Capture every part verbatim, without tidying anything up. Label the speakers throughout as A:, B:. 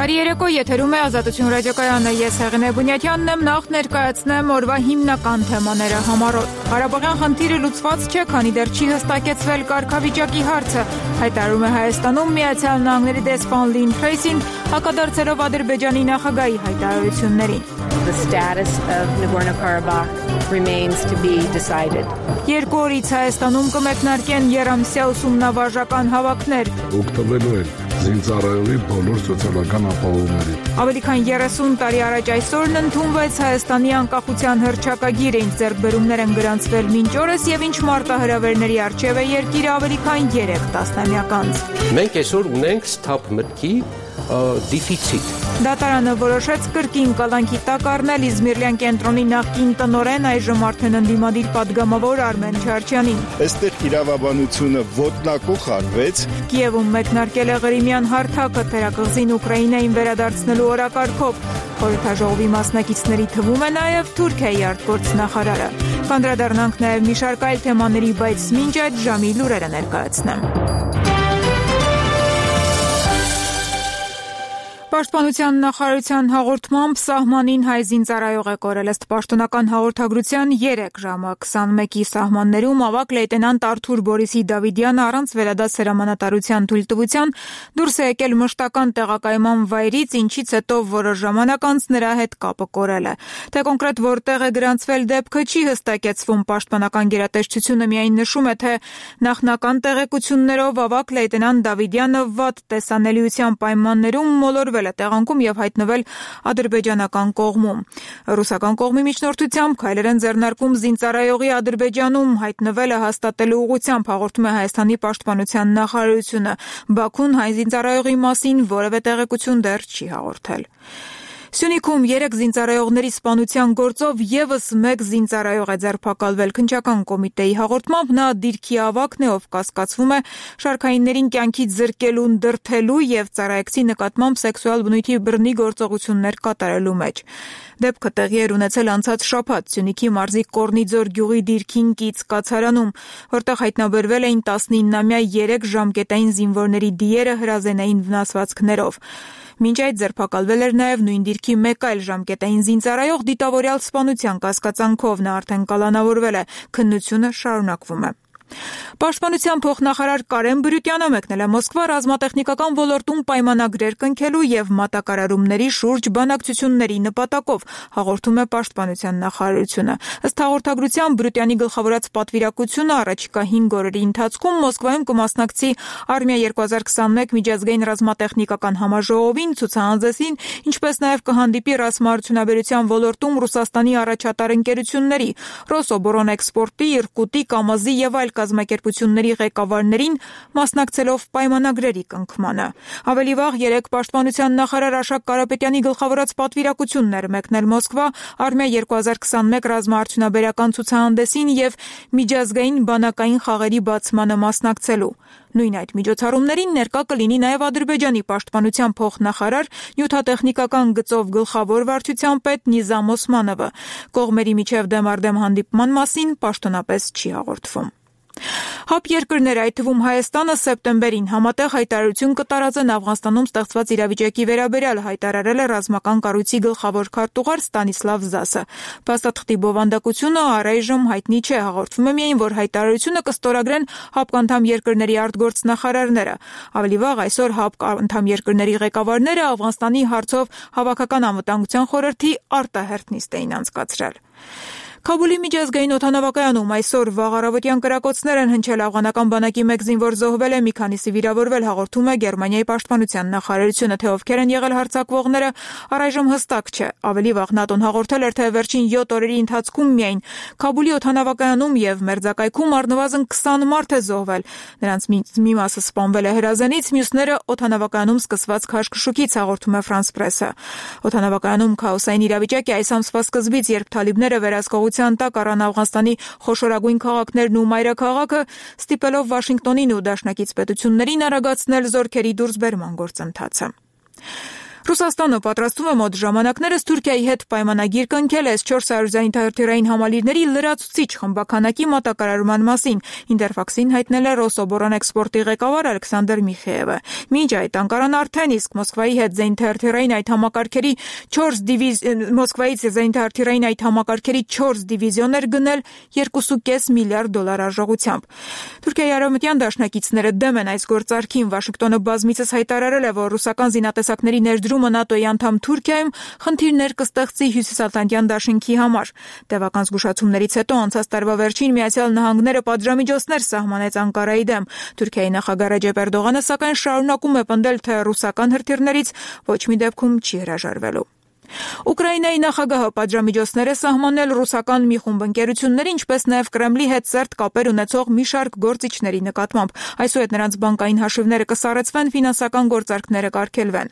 A: Բարի երեկո, եթերում է Ազատություն ռադիոկայանը, ես Հեղինե Բունյատյանն եմ, նախ ներկայացնեմ օրվա հիմնական թեմաները համառոտ։ Ղարաբաղյան խնդիրը լուծված չէ, քանի դեռ չի հստակեցվել կարգավիճակի հարցը, հայտարարում է Հայաստանում Միացյալ Նահանգների դեսպան Լին Թրեյսին, հակադարձելով Ադրբեջանի նախագահի հայտարարություններին։
B: The status of Nagorno-Karabakh remains to be decided.
A: Երկու օրից Հայաստանում կմեկնարկեն երամսյա ուսումնավարժական հավաքներ։
C: Օգտվելու են զինծառայողի բոլոր սոցիալական ապահովումների։
A: Ավելի քան երեսուն տարի առաջ այսօրն ընդունվեց Հայաստանի անկախության հռչակագիրը, ինչ ձեռքբերումներ են գրանցվել մինչ օրս եւ ինչ մարտահրավերների առջեւ է երկիրը ավելի քան երեք տասնամյակ անց։
D: Մենք այսօր ունենք սթափ մտքի դեֆիցիտ։
A: Դատարանը որոշեց կրկին կալանքի տակ առնել Իզմիրլյան կենտրոնի նախկին տնօրեն, այժմ արդեն ընդդիմադիր պատգամավոր Արմեն Չարչյանին։
E: Այստեղ իրավաբանությունը ոտնակող արվեց։
A: Կիևում մեկնարկել է Ղրիմյան հարթակը թերակղզին Ուկրաինային վերադարձնելու օրակարգով։ Խորհրդաժողովի մասնակիցների թվում է նաև Թուրքիայի արտգործնախարարը։ Կանդրադառնանք նաև մի շարք այլ թեմաների, բայց մինչ այդ ժամի լուրերը ներկայացնեմ։ Պաշտպանության նախարարության հաղորդմամբ սահմանին հայ զինծառայող է կորել, ըստ պաշտոնական հաղորդագրության երեք ժամը քսանմեկի սահմաններում ավագ լեյտենանտ Արթուր Բորիսի Դավիդյանը առանց վերադաս հրամանատարության թույլտվության դուրս է եկել մշտական տեղակայման վայրից, ինչից հետո որոշ ժամանակ անց նրա հետ կապը կորել է։ Թե կոնկրետ որտեղ է գրանցվել դեպքը չի հստակեցվում, պաշտպանական գերատեսչությունը միայն նշում է, թե նախնական տեղեկություններով ավագ լեյտենանտ Դավիդյանը վատ տեսանելիության պայմաններում մոլորվել է տեղանքում եւ հայտնվել ադրբեջանական կողմում։ Ռուսական կողմի միջնորդությամբ քայլեր են ձեռնարկում զինծառայողի Ադրբեջանում հայտնվելը հաստատելու ուղղությամբ, հաղորդում է Հայաստանի պաշտպանության նախարարությունը։ Բաքուն հայ զինծառայողի մասին որևէ տեղեկություն դեռ չի հաղորդել։ Սյունիքում երեք զինծառայողների սպանության գործով եւս մեկ զինծառայող է ձերբակալվել։ Քննչական կոմիտեի հաղորդմամբ նա դիրքի ավագն է, ով կասկածվում է շարքայիններին կյանքից զրկելուն, դրդելու եւ ծառայեկցի նկատմամբ սեքսուալ բնույթի բռնի գործողություններ կատարելու մեջ։ Դեպքը տեղի էր ունեցել անցած շաբաթ Սյունիքի մարզի Կորնիձոր գյուղի դիրքին կից կացարանում, որտեղ հայտնաբերվել էին տասնիննամյա երեք ժամկետային զինվորների դիերը հրազենային վնասվածքներով։ Մինչ այդ ձերբակալվել էր նաև նույն դիրքի մեկ այլ ժամկետային զինծառայող դիտավորյալ սպանության կասկածանքով, նա արդեն կալանավորվել է, քննությունը շարունակվում է։ Պաշտպանության փոխնախարար Կարեն Բրютյանը մեկնել է Մոսկվա ռազմատեխնիկական ոլորտում պայմանագրեր կնքելու եւ մատակարարումների շուրջ բանակցությունների նպատակով, հաղորդում է Պաշտպանության նախարարությունը։ Ըստ հաղորդագրության Բրютյանի գլխավորած պատվիրակությունը առաջիկա հինգ օրերի ընթացքում Մոսկվայում կմասնակցի Արմիա երկու հազար քսանմեկ միջազգային ռազմատեխնիկական համաժողովին, ցուցահանդեսին, ինչպես նաև կհանդիպի ռազմաարդյունաբերության ոլորտում Ռուսաստանի առաջատար ընկերությունների Ռոսոբորանէքսպորտի, Իրկուտի, Կամազի եւ այլ կազմակերպությունների ղեկավարներին, մասնակցելով պայմանագրերի կնքմանը։ Ավելի վաղ երեկ պաշտպանության նախարար Աշակ Կարապետյանի գլխավորած պատվիրակությունն էր մեկնել Մոսկվա Արմիա երկու հազար քսանմեկ ռազմաարդյունաբերական ցուցահանդեսին եւ միջազգային բանակային խաղերի բացմանը մասնակցելու։ Նույն այդ միջոցառումներին ներկա կլինի նաև Ադրբեջանի պաշտպանության փոխնախարար, նյութատեխնիկական գծով գլխավոր վարչության պետ Նիզամ Օսմանովը։ Կողմերի միջև դեմարդեմ հանդիպման մասին պաշտոնապես չի հաղորդվում։ Հապ երկրները, այդ թվում Հայաստանը, սեպտեմբերին համատեղ հայտարարություն կտարածեն Աֆղանստանում ստեղծված իրավիճակի վերաբերյալ, հայտարարել է ռազմական կառույցի գլխավոր քարտուղար Ստանիսլավ Զասը։ Փաստաթղթի բովանդակությունը առայժմ հայտնի չէ, հաղորդվում է միայն, որ հայտարարությունը կստորագրեն ՀԱՊԿ անդամ երկրների արտգործնախարարները։ Ավելի վաղ այսօր ՀԱՊԿ անդամ երկրների ղեկավարները Աֆղանստանի հարցով Հավաքական անվտանգության խորհրդի արտահերթ նիստ էին անցկացրել։ Քաբուլի միջազգային օդանավակայանում այսօր վաղ առավոտյան կրակոցներ են հնչել, աֆղանական բանակի մեկ զինվոր զոհվել է, մի քանիսը վիրավորվել, հաղորդում է Գերմանիայի պաշտպանության նախարարությունը, թե ովքեր են եղել հարձակվողները, առայժմ հստակ չէ։ Ավելի վաղ ՆԱՏՕ-ն հաղորդել էր, թե վերջին յոթ օրերի ընթացքում միայն Քաբուլի օդանավակայանում եւ մերձակայքում առնվազն քսան մարդ է զոհվել։ Նրանց մի մասը սպանվել է հրազենից, մյուսները օդանավակայանում սկսված քաշքշուկից, հաղորդում է Ֆրանս Պրեսը։ Օդանավակայանում քաոսային իրավիճակ է այս ամսվա սկզբից, երբ թալիբները վերահսկողության տակ առան Աֆղանստանի խոշորագույն քաղաքներն ու մայրաքաղաքը, ստիպելով Վաշինգտոնին ու դաշնակից պետություններին արագացնել զորքերի դուրսբերման գործընթացը։ Ռուսաստանը պատրաստվում է մոտ ժամանակներս Թուրքիայի հետ պայմանագիր կնքել էս չորս հարյուր զենիթաղերթյուրային համալիրների լրացուցիչ խմբականակի մատակարարման մասին, Ինտերֆաքսին հայտնել է Ռոսոբորանէքսպորտի ղեկավար Ալեքսանդր Միխեևը։ Մինչ այդ Անկարան արդեն իսկ Մոսկվայի հետ զենիթաղերթյուրային այդ համակարգերի չորս դիվիզ Մոսկվայից զենիթաղերթյուրային այդ համակարգերի չորս դիվիզիոներ գնել երկու կես միլիարդ դոլար արժողությամբ։ Թուրքիայի արևմտյան դաշնակիցները դեմ են այս գործարքին։ Վաշինգտոնը բազմիցս հայտարարել է, որ ռուսական զինատեսակների ներդրումը ՆԱՏՕ-ի անդամ Թուրքիայում խնդիրներ կստեղծի Հյուսիսատլանտյան դաշինքի համար։ Տևական զգուշացումներից հետո անցած տարվա վերջին Միացյալ Նահանգները պատժամիջոցներ սահմանեց Անկարայի դեմ։ Թուրքիայի նախագահ Ռեջեփ Էրդողանը սակայն շարունակում է պնդել, թե ռուսական հրթիռներից ոչ մի դեպքում չի հրաժարվելու։ Ուկրաինայի նախագահը պատժամիջոցներ է սահմանել ռուսական մի խումբ ընկերությունների, ինչպես նաև Կրեմլի հետ սերտ կապեր ունեցող մի շարք գործիչների նկատմամբ։ Այսուհետ նրանց բանկային հաշիվները կսառեցվեն, ֆինանսական գործարքները կարգելվեն։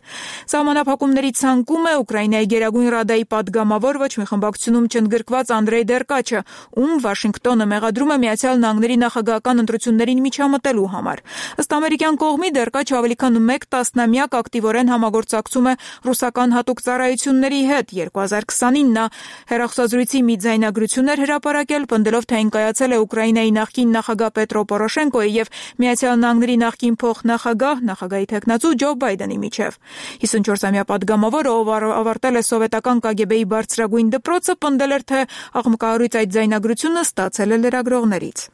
A: Սահմանափակումների ցանկում է Ուկրաինայի Գերագույն Ռադայի падգամավոր ոչ մի խմբակցությունում չընդգրկված Անդրեյ Դերկաչը, ում Վաշինգտոնը մեղադրում է Միացյալ Նահանգների նախագահական ընտրություններին միջամտելու համար։ Ըստ ամերիկյան կողմի Դերկաչը ավելի քան մեկ տասնամյակ ակտիվորեն համագործակցում է ռուսական հատուկ ծառայությունների հետ երկու հազար քսանին նա հեռախոսազրույցի մի ձայնագրություն էր հրապարակել, պնդելով, թե այն կայացել է Ուկրաինայի նախկին նախագահ Պետրո Պորոշենկոյի եւ Միացյալ Նահանգների նախկին փոխնախագահ, նախագահի թեկնածու Ջո Բայդենի միջև։ հիսունչորսամյա падգամավորը, ով ավարտել է սովետական Կ Գ Բ-ի բարձրագույն դպրոցը, պնդել էր, թե աղմկահարույց այդ ձայնագրությունը ստացել է լրագրողներից։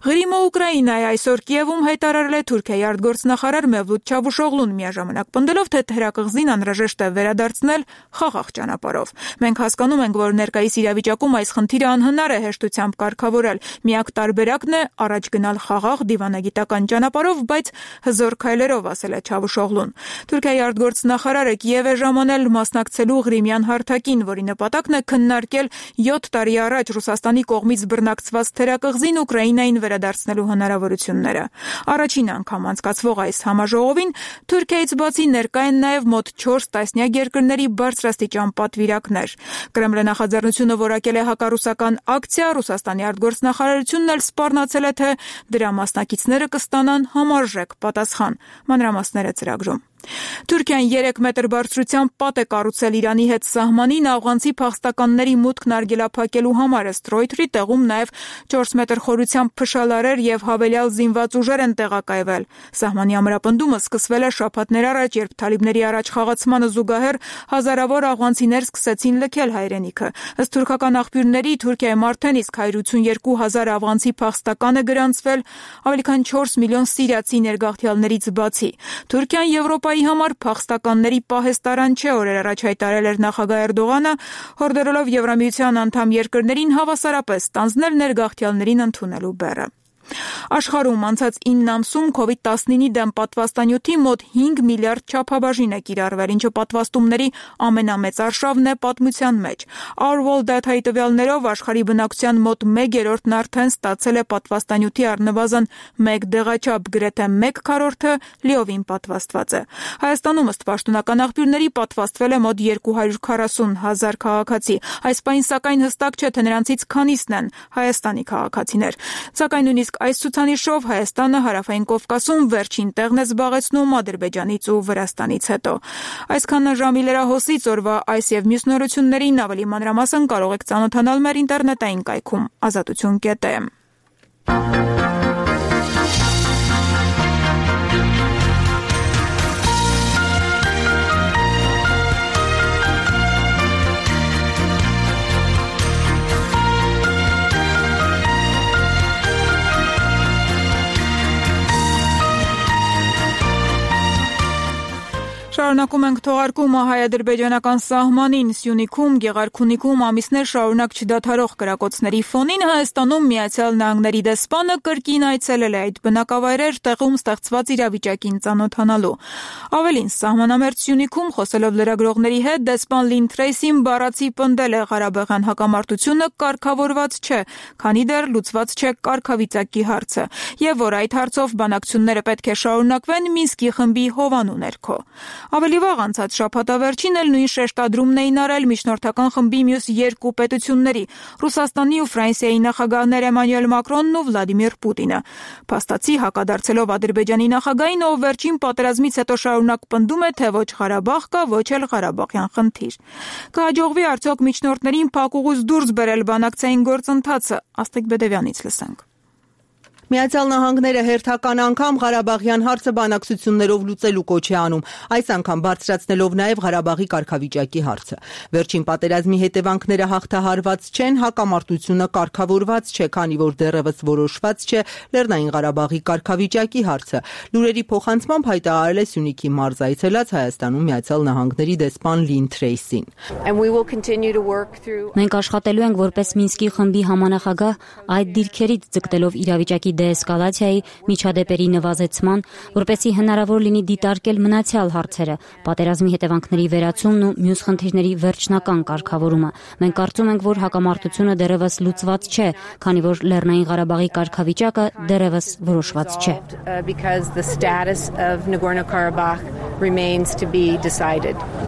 A: Ղրիմը Ուկրաինայի այսօր Կիևում հայտարարել է Թուրքիայի արտգործնախարար Մևլութ Չավուշօղլուն, միաժամանակ պնդելով, թե թերակղզին անհրաժեշտ է վերադարձնել խաղաղ ճանապարհով։ Մենք հասկանում ենք, որ ներկայիս իրավիճակում այս խնդիրը անհնար է հեշտությամբ կարգավորել։ Միակ տարբերակն է առաջ գնալ խաղաղ դիվանագիտական ճանապարհով, բայց հզոր քայլերով, ասել է Չավուշօղլուն։ Թուրքիայի արտգործնախարարը Կիև է ժամանել մասնակցելու Ղրիմյան հարթակին, որի նպատակն է քննարկել յոթ տարի առաջ Ռուսաստանի կողմից բռնակցված թերակղզին Ուկրաինային վերադարձնելու հնարավորությունները։ Առաջին անգամ անցկացվող այս համաժողովին Թուրքիայից բացի ներկա են նաև մոտ չորս տասնյակ երկրների բարձրաստիճան պատվիրակներ։ Կրեմլի նախաձեռնությունը որակել է հակառուսական ակցիա, Ռուսաստանի արտգործնախարարությունն էլ սպառնացել է, թե դրա մասնակիցները կստանան համարժեք պատասխան։ Մանրամասները ծրագրում։ Թուրքիան երեք մետր բարձրությամբ պատ է կառուցել Իրանի հետ սահմանին աֆղանցի փախստականների մուտքն արգելափակելու համար, ըստ Ռոյթերի տեղում նաև չորս մետր խորությամբ փշալարեր եւ հավելյալ զինված ուժեր են տեղակայվել։ Սահմանի ամրապնդումը սկսվել է շաբաթներ առաջ, երբ թալիբների առաջխաղացմանը զուգահեռ հազարավոր աֆղանցիներ սկսեցին լքել հայրենիքը։ Ըստ թուրքական աղբյուրների, Թուրքիայում արդեն իսկ հարյուր ութսուներկու հազար աֆղանցի փախստական է գրանցվել, ավելի քան չորս միլիոն սիրիացի ներգաղթյալներից բացի։ Թուրքիան Եվրոպայի համար փախստականների պահեստարան չէ, օրեր առաջ հայտարարել էր նախագահ Էրդողանը, հորդորելով Եվրամիության անդամ երկրներին հավասարապես ստանձնել ներգաղթյալներին ընդունելու բեռը։ Աշխարհում անցած ինը ամսում կովիդ տասնինի դեմ պատվաստանյութի մոտ հինգ միլիարդ չափաբաժին է կիրառվել, ինչը պատվաստումների ամենամեծ արշավն է պատմության մեջ։ Our World Data-ի տվյալներով աշխարհի բնակչության մոտ մեկ երրորդն արդեն ստացել է պատվաստանյութի առնվազն մեկ դեղաչափ, գրեթե մեկ քառորդը լիովին պատվաստված է։ Հայաստանում ըստ պաշտոնական աղբյուրների պատվաստվել է մոտ երկու հարյուր քառասուն հազար քաղաքացի։ Այս պահին սակայն հստակ չէ, թե նրանցից քանիսն են Հայաստանի քաղաքացիներ։ Սակայն նույնիսկ այս ցուցանիշով Հայաստանը Հարավային Կովկասում վերջին տեղն է զբաղեցնում Ադրբեջանից ու Վրաստանից հետո։ Այսքանն ժամի լրահոսից օրվա այս եւ մյուս նորություններին ավելի մանրամասն կարող եք ծանոթանալ մեր ինտերնետային կայքում ազատություն կետ է։ Շարունակում ենք թողարկումը հայ-ադրբեջանական սահմանին Սյունիքում, Գեղարքունիքում ամիսներ շարունակ չդադարող կրակոցների ֆոնին Հայաստանում Միացյալ Նահանգների դեսպանը կրկին այցելել է այդ բնակավայրեր տեղում ստեղծված իրավիճակին ծանոթանալու։ Ավելին, սահմանամերձ Սյունիքում խոսելով լրագրողների հետ դեսպան Լին Թրեյսին բառացի պնդել է Ղարաբաղյան հակամարտությունը կարգավորված չէ, քանի դեռ լուծված չէ կարգավիճակի հարցը, եւ որ այդ հարցով բանակցությունները պետք է շարունակվեն Մինսկի խմբի հովանու ներքո։ Ավելի վաղ անցած շաբաթավերջին էլ նույն շեշտադրումն էին արել միջնորդական խմբի մյուս երկու պետությունների՝ Ռուսաստանի ու Ֆրանսիայի նախագահներ Էմանուել Մակրոնն ու Վլադիմիր Պուտինը։ Փաստացի հակադարձելով Ադրբեջանի նախագահին, ով վերջին պատերազմից հետո շարունակ պնդում է, թե ոչ Ղարաբաղ կա, ոչ էլ Ղարաբաղյան խնդիր։ Կհաջողվի արդյոք միջնորդներին փակուղուց դուրս բերել բանակցային գործընթացը։ Աստղիկ Բեդևյանից լսենք։
F: Միացյալ Նահանգները հերթական անգամ Ղարաբաղյան հարցը բանակցություններով լուծելու կոչ է անում, այս անգամ բարձրացնելով նաև Ղարաբաղի կարգավիճակի հարցը։ Վերջին պատերազմի հետևանքները հաղթահարված չեն, հակամարտությունը կարգավորված չէ, քանի որ դեռևս որոշված չէ Լեռնային Ղարաբաղի կարգավիճակի հարցը։ Լուրերի փոխանցմամբ հայտարարել է Սյունիքի մարզ այցելած Հայաստանում Միացյալ Նահանգների դեսպան Լին Թրեյսին։
G: Մենք աշխատելու ենք որպես Մինսկի խմբի համանախագահ այդ դիրքերից ձգտելով իրավիճակի դեէսկալացիայի, միջադեպերի նվազեցման, որպեսզի հնարավոր լինի դիտարկել մնացյալ հարցերը, պատերազմի հետևանքների վերացումն ու մյուս խնդիրների վերջնական կարգավորումը։ Մենք կարծում ենք, որ հակամարտությունը դեռևս լուծված չէ, քանի որ Լեռնային Ղարաբաղի կարգավիճակը դեռևս որոշված չէ։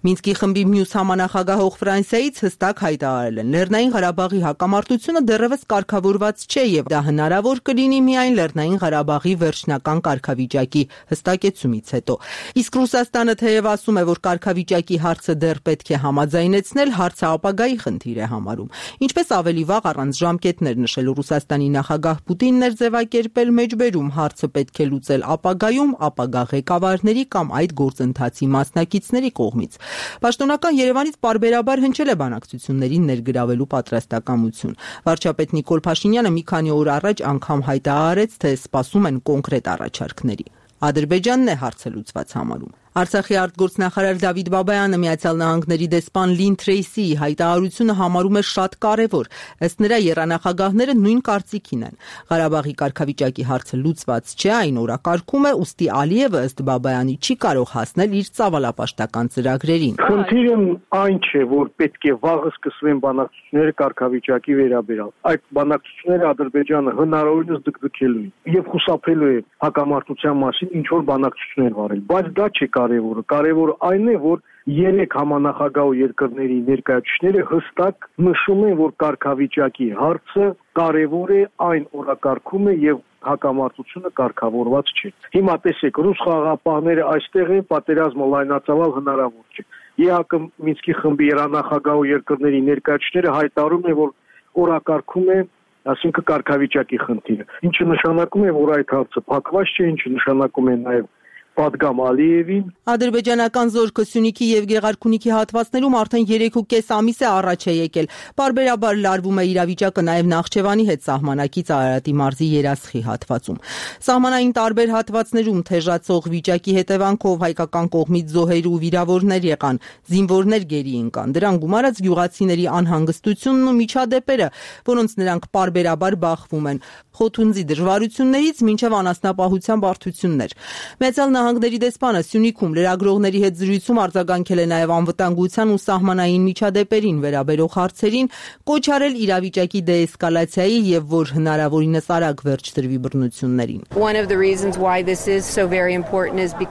F: Մինսկի խմբի մյուս համանախագահող Ֆրանսիայից հստակ հայտարարել են. Լեռնային Ղարաբաղի հակամարտությունը դեռևս կարգավորված չէ եւ դա հնարավոր կլինի միայն Լեռնային Ղարաբաղի վերջնական կարգավիճակի հստակեցումից հետո։ Իսկ Ռուսաստանը թեև ասում է, որ կարգավիճակի հարցը դեռ պետք է համաձայնեցնել, հարցը ապագայի խնդիր է համարում։ Ինչպես ավելի վաղ առանց ժամկետներ նշել Ռուսաստանի նախագահ Պուտինն էր ձևակերպել մեջբերում, հարցը պետք է լուծել ապագայում, ապագա ղեկավարների կամ այդ գործընթացի մասնակիցների կողմից։ Պաշտոնական Երևանից պարբերաբար հնչել է բանակցություններին ներգրավելու պատրաստակամություն։ Վարչապետ Նիկոլ Փաշինյանը մի քանի օր առաջ անգամ հայտարարեց, թե սպասում են կոնկրետ առաջարկների։ Ադրբեջանն է հարցը լուծված համարում։ Արցախի արտգործնախարար Դավիթ Բաբայանը Միացյալ Նահանգների դեսպան Լին Թրեյսիի հայտարարությունը համարում է շատ կարևոր։ Ըստ նրա, եռանախագահները նույն կարծիքին են։ Ղարաբաղի կարգավիճակի հարցը լուծված չէ, այն օրակարգում է, ուստի Ալիևը ըստ Բաբայանի չի կարող հասնել իր ծավալապաշտական ծրագրերին։
H: Խնդիրը այն չէ, որ պետք է վաղը սկսվեն բանակցությունները կարգավիճակի վերաբերյալ։ Այդ բանակցությունները Ադրբեջանը հնարավորինս դգդգելու է եւ խուսափելու է հակամարտության մասին ինչ որ բանակցություններ վարել, բայց դա չէ կարևորը։ Կարևորը այն է, որ երեք համանախագահ երկրների ներկայացուցիչները հստակ նշում են, որ կարգավիճակի հարցը կարևոր է, այն օրակարգում է եւ հակամարտությունը կարգավորված չէ։ Հիմա տեսեք, ռուս խաղաղապահները այստեղ են, պատերազմը լայնածավալ հնարավոր չէ։ ԵԱԿ Մինսկի խմբի երանախագահ երկրների ներկայացուցիչները հայտարարում են, որ օրակարգում է, ասինքն կարգավիճակի խնդիրը, ինչը նշանակում է, որ այդ հարցը փակված չէ, ինչը նշանակում է նաեւ Պատգամ Ալիևին։
F: Ադրբեջանական զորքը Սյունիքի եւ Գեղարքունիքի հատվածներում արդեն երեք ու կես ամիս է առաջ է եկել։ Պարբերաբար լարվում է իրավիճակը նաեւ Նախճեվանի հետ սահմանակից Արարատի մարզի Երասխի հատվածում։ Սահմանային տարբեր հատվածներում թեժացող վիճակի հետևանքով հայկական կողմից զոհեր ու վիրավորներ եղան, զինվորներ գերի ընկան։ Դրան գումարած գյուղացիների անհանգստությունն ու միջադեպերը, որոնց նրանք պարբերաբար բախվում են, խոթունձի դժվարություններից մինչև անասնապահության բարդություններ։ Միացյալ Նահանգների դեսպանը Սյունիքում լրագրողների հետ զրույցում արձագանքել է նաև անվտանգության ու սահմանային միջադեպերին վերաբերող հարցերին, կոչ արել իրավիճակի դեէսկալացիայի եւ որ հնարավորինս արագ վերջ տրվի բռնություններին։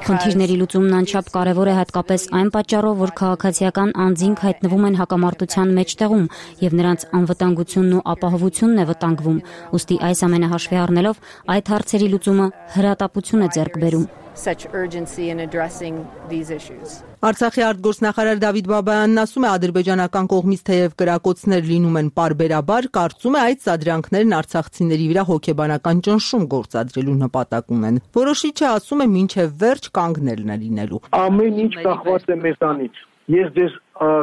G: Խնդիրների լուծումն անչափ կարևոր է հատկապես այն պատճառով, որ քաղաքացիական անձինք հայտնվում են հակամարտության մեջտեղում եւ նրանց անվտանգությունն ու ապահովությունն է վտանգվում։ Ուստի այս ամենը հաշվի առնելով այդ հարցերի լուծումը հրատապություն է ձեռք բերում։
B: Such urgency in addressing these issues.
F: Արցախի արտգործնախարար Դավիթ Բաբայանն ասում է, ադրբեջանական կողմից թեև կրակոցներ լինում են պարբերաբար, կարծում է այդ սադրանքներն արցախցիների վրա հոգեբանական ճնշում գործադրելու նպատակ ունեն։ Որոշիչը ասում է մինչև վերջ կանգնելն է լինելու։
H: Ամեն ինչ կախված է մեզանից։ Ես ձեզ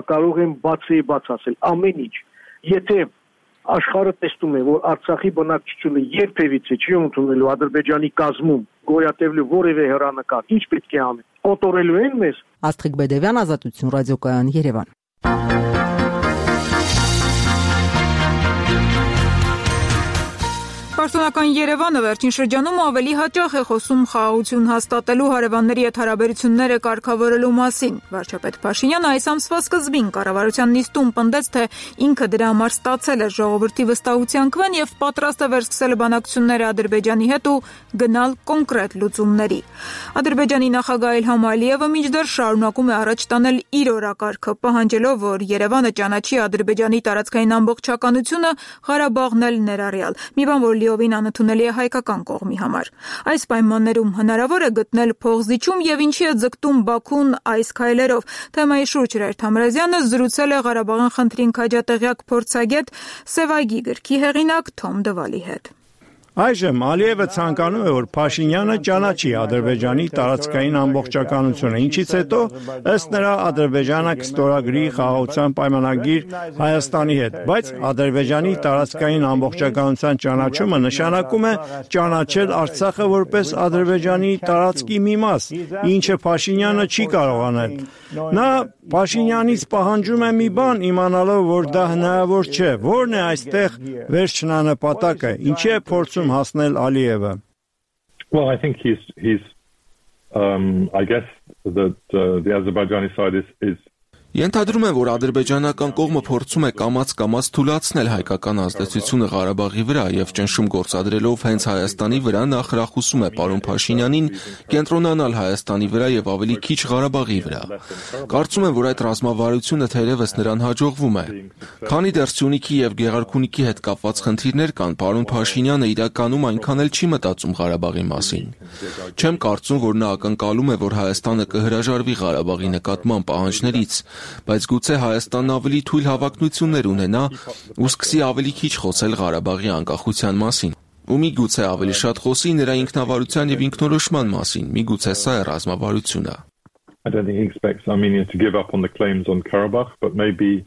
H: կարող եմ բացի բաց ասել, ամեն ինչ։ Եթե աշխարհը տեսնում է, որ Արցախի բնակչությունը երբևիցե չի ընդունելու Ադրբեջանի կազմում գոյատևելու որևէ հեռանկար, ինչ պետք է անել։ Կոտորելու են մեզ։
F: Աստղիկ Բեդևյան, Ազատություն ռադիոկայան, Երևան։
A: Պաշտոնական Երևանը վերջին շրջանում ավելի հաճախ է խոսում խաղաղություն հաստատելու հարևանների հետ հարաբերությունները կարգավորելու մասին։ Վարչապետ Փաշինյանը այս ամսվա սկզբին կառավարության նիստում պնդեց, թե ինքը դրա համար ստացել է ժողովրդի վստահության քվեն եւ պատրաստ է վերսկսել բանակցությունները Ադրբեջանի հետ ու գնալ կոնկրետ լուծումների։ Ադրբեջանի նախագահ Իլհամ Ալիևը մինչդեռ շարունակում է առաջ տանել իր օրակարգը, պահանջելով, որ Երևանը ճանաչի Ադրբեջանի տարածքային ամբողջականությունը, Ղարաբաղն էլ ներառյալ։ Մի բան, որ լիովին անընդունելի է հայկական կողմի համար։ Այս պայմաններում հնարավոր է գտնել փողզիջում եւ ինչի է ձգտում Բաքուն այս քայլերով։ Թեմայի շուրջ Հրայր Թամրազյանը զրուցել է Ղարաբաղյան խնդրին քաջատեղյակ փորձագետ Սևայգի գրքի հեղինակ Թոմ Դվալի հետ։
I: Այժմ Ալիևը ցանկանում է, որ Փաշինյանը ճանաչի Ադրբեջանի տարածքային ամբողջականությունը, ինչից հետո ըստ նրա Ադրբեջանը կստորագրի խաղաղության պայմանագիր Հայաստանի հետ, բայց Ադրբեջանի տարածքային ամբողջականության ճանաչումը նշանակում է ճանաչել Արցախը որպես Ադրբեջանի տարածքի մի մաս, ինչը Փաշինյանը չի կարող անել։ Նա Փաշինյանից պահանջում է մի բան, իմանալով, որ դա հնարավոր չէ, որն է այստեղ վերջնանպատակը, ինչի է փորձում հասնել Ալիևը։
J: Well, I think he's he's um I guess that uh, the Azerbaijani side is is
K: Ենթադրում եմ, որ ադրբեջանական կողմը փորձում է կամաց-կամաց թուլացնել հայկական ազդեցությունը Ղարաբաղի վրա եւ ճնշում գործադրելով հենց Հայաստանի վրա նա խրախուսում է պարոն Փաշինյանին կենտրոնանալ Հայաստանի վրա եւ ավելի քիչ Ղարաբաղի վրա։ Կարծում եմ, որ այդ ռազմավարությունը թերևս նրան հաջողվում է։ Քանի դեռ Սյունիքի եւ Գեղարքունիքի հետ կապված խնդիրներ կան, պարոն Փաշինյանը իրականում այնքան էլ չի մտածում Ղարաբաղի մասին։ Չեմ կարծում, որ նա ակնկալում է, որ Հայաստանը կհրաժարվի Ղարաբաղի նկատմամբ պահանջներից, բայց գուցե Հայաստանն ավելի թույլ հավակնություններ ունենա ու սկսի ավելի քիչ խոսել Ղարաբաղի անկախության մասին։ Ու միգուցե ավելի շատ խոսի նրա ինքնավարության եւ ինքնորոշման մասին, միգուցե սա է ռազմավարությունը։
J: I don't think he expects Armenia to give up on the claims on Karabakh, but maybe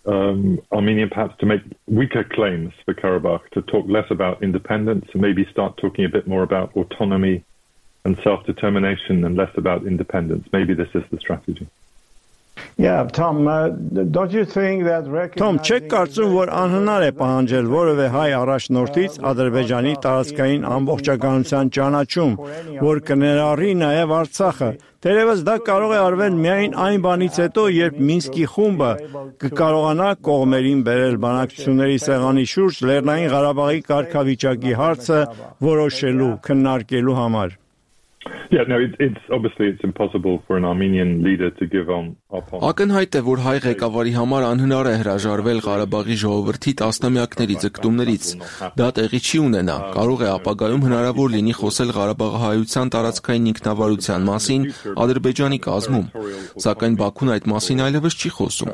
J: um, Armenia perhaps to make weaker claims for Karabakh, to talk less about independence and maybe start talking a bit more about autonomy and self-determination and less about independence. Maybe this is the strategy.
I: Yeah, Tom, uh, don't you think that Tom, չեք կարծում, որ անհնար է պահանջել որևէ հայ առաջնորդից Ադրբեջանի տարածքային ամբողջականության ճանաչում, որ կներառի նաև Արցախը։ Թերևս դա կարող է արվել միայն այն բանից հետո, երբ Մինսկի խումբը կկարողանա կողմերին բերել բանակցությունների սեղանի շուրջ Լեռնային Ղարաբաղի կարգավիճակի հարցը որոշելու, քննարկելու համար։
J: Yeah, no, it, it's obviously it's impossible for an Armenian leader to give on up on.
K: Ակնհայտ է, որ հայ ղեկավարի համար անհնար է հրաժարվել Ղարաբաղի ժողովրդի տասնամյակների ձգտումներից։ Դա տեղի չի ունենա։ Կարող է ապագայում հնարավոր լինի խոսել Ղարաբաղահայության տարածքային ինքնավարության մասին Ադրբեջանի կազմում, սակայն Բաքուն այդ մասին այլևս չի խոսում։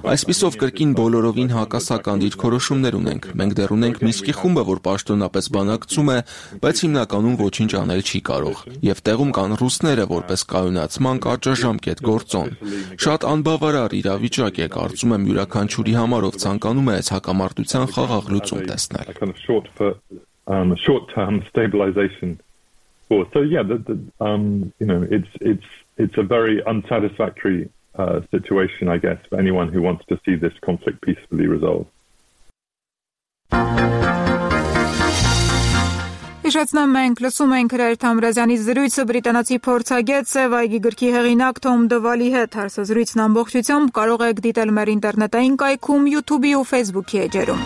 K: Այսպիսով կրկին բոլորովին հակասական դիրքորոշումներ ունենք։ Մենք դեռ ունենք Մինսկի խումբը, որ պաշտոնապես բանակցում է, բայց հիմնականում ոչինչ անել չի կարող։ Եվ տեղում կան ռուսները որպես կայունացման կարճաժամկետ գործոն։ Շատ անբավարար իրավիճակ է, կարծում եմ յուրաքանչյուրի համար, ով ցանկանում է այս հակամարտության խաղաղ լուծում տեսնել։
J: Um, short-term stabilization force. So yeah, the, the, um, you know, it's it's it's a very unsatisfactory uh, situation, I guess, for anyone who wants to see this conflict peacefully resolved.
A: Հիշեցնեմ, մենք լսում ենք Հրայր Թամրազյանի զրույցը բրիտանացի փորձագետ Սևայգի գրքի հեղինակ Թոմ Դվալի հետ։ Հարցազրույցն ամբողջությամբ կարող եք դիտել մեր ինտերնետային կայքում, YouTube-ի ու Facebook-ի էջերում։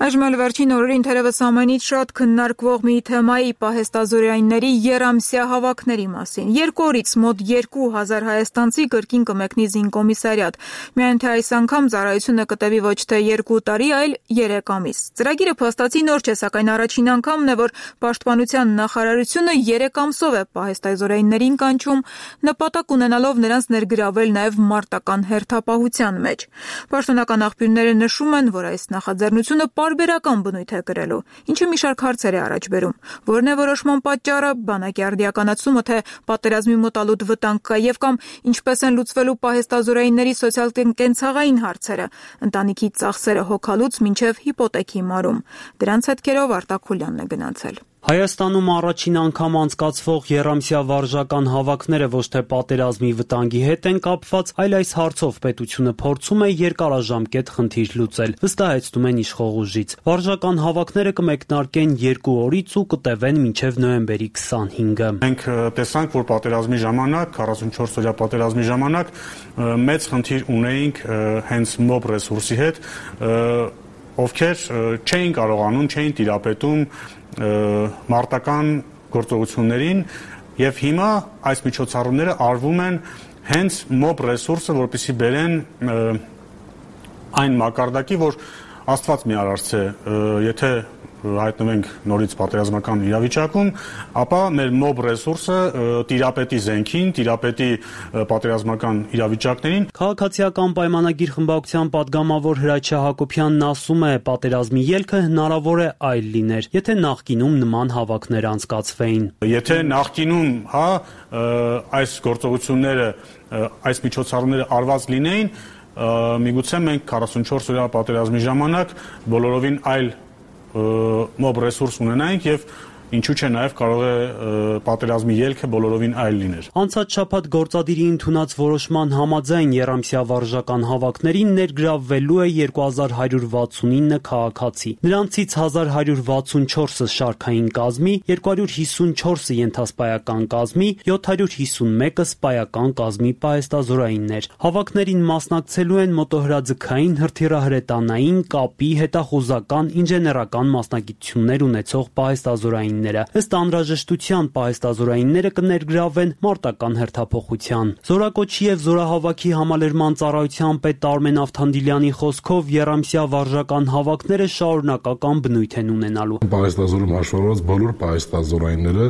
A: Այժմ էլ վերջին օրերին թերևս ամենից շատ քննարկվող մի թեմայի պահեստազորայինների երամսյա հավաքների մասին։ Երկու օրից մոտ երկու հազար հայաստանցի կրկին կմեկնի զինկոմիսարիատ։ Միայն թե այս անգամ ծառայությունը կտևի ոչ թե երկու տարի, այլ երեք ամիս։ Ծրագիրը փաստացի նոր չէ, սակայն առաջին անգամն է, որ Պաշտպանության նախարարությունը երեք ամսով է պահեստազորայիններին կանչում, նպատակ ունենալով նրանց ներգրավել նաև մարտական հերթապահության մեջ։ Պաշտոնական աղբյուրները նշում են, որ այս նախաձեռնությունը Բարբերական բնույթ է կրելու, ինչը մի շարք հարցեր է առաջ բերում։ Որն է որոշման պատճառը, բանակի արդիականացումը, թե պատերազմի մոտալուտ վտանգ կա եւ կամ ինչպես են լուծվելու պահեստազորայինների սոցիալ-կենցաղային հարցերը, ընտանիքի ծախսերը հոգալուց մինչեւ հիպոթեքի մարում։ Դրանց հետքերով Արտակ Խուլյանն է գնացել։
L: Հայաստանում առաջին անգամ անցկացվող եռամսյա վարժական հավաքները ոչ թե պատերազմի վտանգի հետ են կապված, այլ այս հարցով պետությունը փորձում է երկարաժամկետ խնդիր լուծել, վստահեցնում են իշխող ուժից։ Վարժական հավաքները կմեկնարկեն երկու օրից ու կտևեն մինչև նոյեմբերի քսանհինգը։
M: Մենք տեսանք, որ պատերազմի ժամանակ, քառասունչորս օրյա պատերազմի ժամանակ մեծ խնդիր ունեինք հենց մոբ ռեսուրսի հետ, ովքեր չէին կարողանում, չէին տիրապետում մարտական գործողություններին եւ հիմա այս միջոցառումները արվում են հենց մոբ ռեսուրսը, որպեսզի բերեն այն մակարդակի, որ Աստված մի արարցե, եթե հայտնվենք նորից պատերազմական իրավիճակում, ապա մեր մոբ ռեսուրսը տիրապետի զենքին, տիրապետի պատերազմական իրավիճակներին։
L: Քաղաքացիական պայմանագիր խմբակցության падգամավոր Հրաչյա Հակոբյանն ասում է, պատերազմի ելքը հնարավոր է այլ լիներ, եթե նախկինում նման հավաքներ անցկացվեին։
M: Եթե նախկինում, հա, այս գործողությունները, այս միջոցառումները արված լինեին, միգուցե մենք քառասունչորս օրյա պատերազմի ժամանակ բոլորովին այլ մոբ ռեսուրս ունենայինք եւ ինչու՞ չէ նաեւ կարող է պատերազմի ելքը բոլորովին այլ լիներ։
L: Անցած շաբաթ գործադիրի ընդունած որոշման համաձայն եռամսյա վարժական հավաքներին ներգրավվելու է երկու հազար հարյուր վաթսունինը քաղաքացի։ Նրանցից հազար հարյուր վաթսունչորսը շարքային կազմի, երկու հարյուր հիսունչորսը ենթասպայական կազմի, յոթ հարյուր հիսունմեկը սպայական կազմի պահեստազորայիններ։ Հավաքներին մասնակցելու են մոտոհրաձգային, հրթիռահրետանային, կապի, հետախուզական, ինժեներական մասնագիտություններ ունեցող պահեստազորայիններ։ Ըստ անհրաժեշտության պահեստազորայինները կներգրավվեն մարտական հերթափոխության։ Զորակոչի եւ զորահավաքի համալրման ծառայության պետ Արմեն Ավթանդիլյանի խոսքով եռամսյա վարժական հավաքները շարունակական բնույթ են ունենալու։
C: Պահեստազորում հաշվառված բոլոր պահեստազորայինները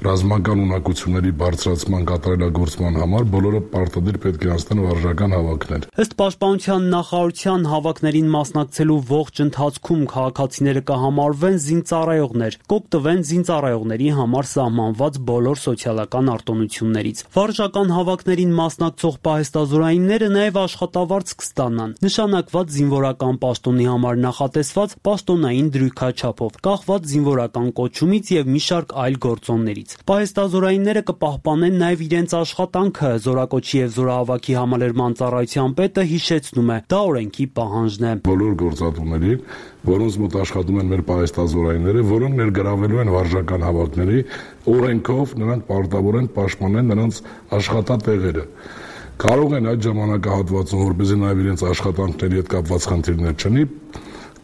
C: ռազմական ունակությունների բարձրացման կատարելագործման համար բոլորը պարտադիր պետք է անցնեն վարժական հավաքներ։
L: Ըստ պաշտպանության նախարարության հավաքներին մասնակցելու ողջ ընթացքում քաղաքացիները կհամարվեն զինծառայողներ, կօգտվեն զինծառայողների համար սահմանված բոլոր սոցիալական արտոնություններից։ Վարժական հավաքներին մասնակցող պահեստազորայինները նաև աշխատավարձ կստանան, նշանակված զինվորական պաշտոնի համար նախատեսված պաշտոնային դրույքաչափով, կախված զինվորական կոչումից եւ մի շարք այլ գործոններից։ Պահեստազորայինները կպահպանեն նաև իրենց աշխատանքը, զորակոչի եւ զորահավաքի համալրման ծառայության պետը հիշեցնում է, դա օրենքի պահանջն է։
C: Բոլոր գործատուների, որոնց մոտ աշխատում են մեր պահեստազորայինները, որոնք ներգրավվելու են վարժական հավաքների, օրենքով նրանք պարտավոր են պաշտպանել նրանց աշխատատեղերը։ Կարող են այդ ժամանակահատվածում, որպեսզի նաև իրենց աշխատանքների հետ կապված խնդիրներ չունի,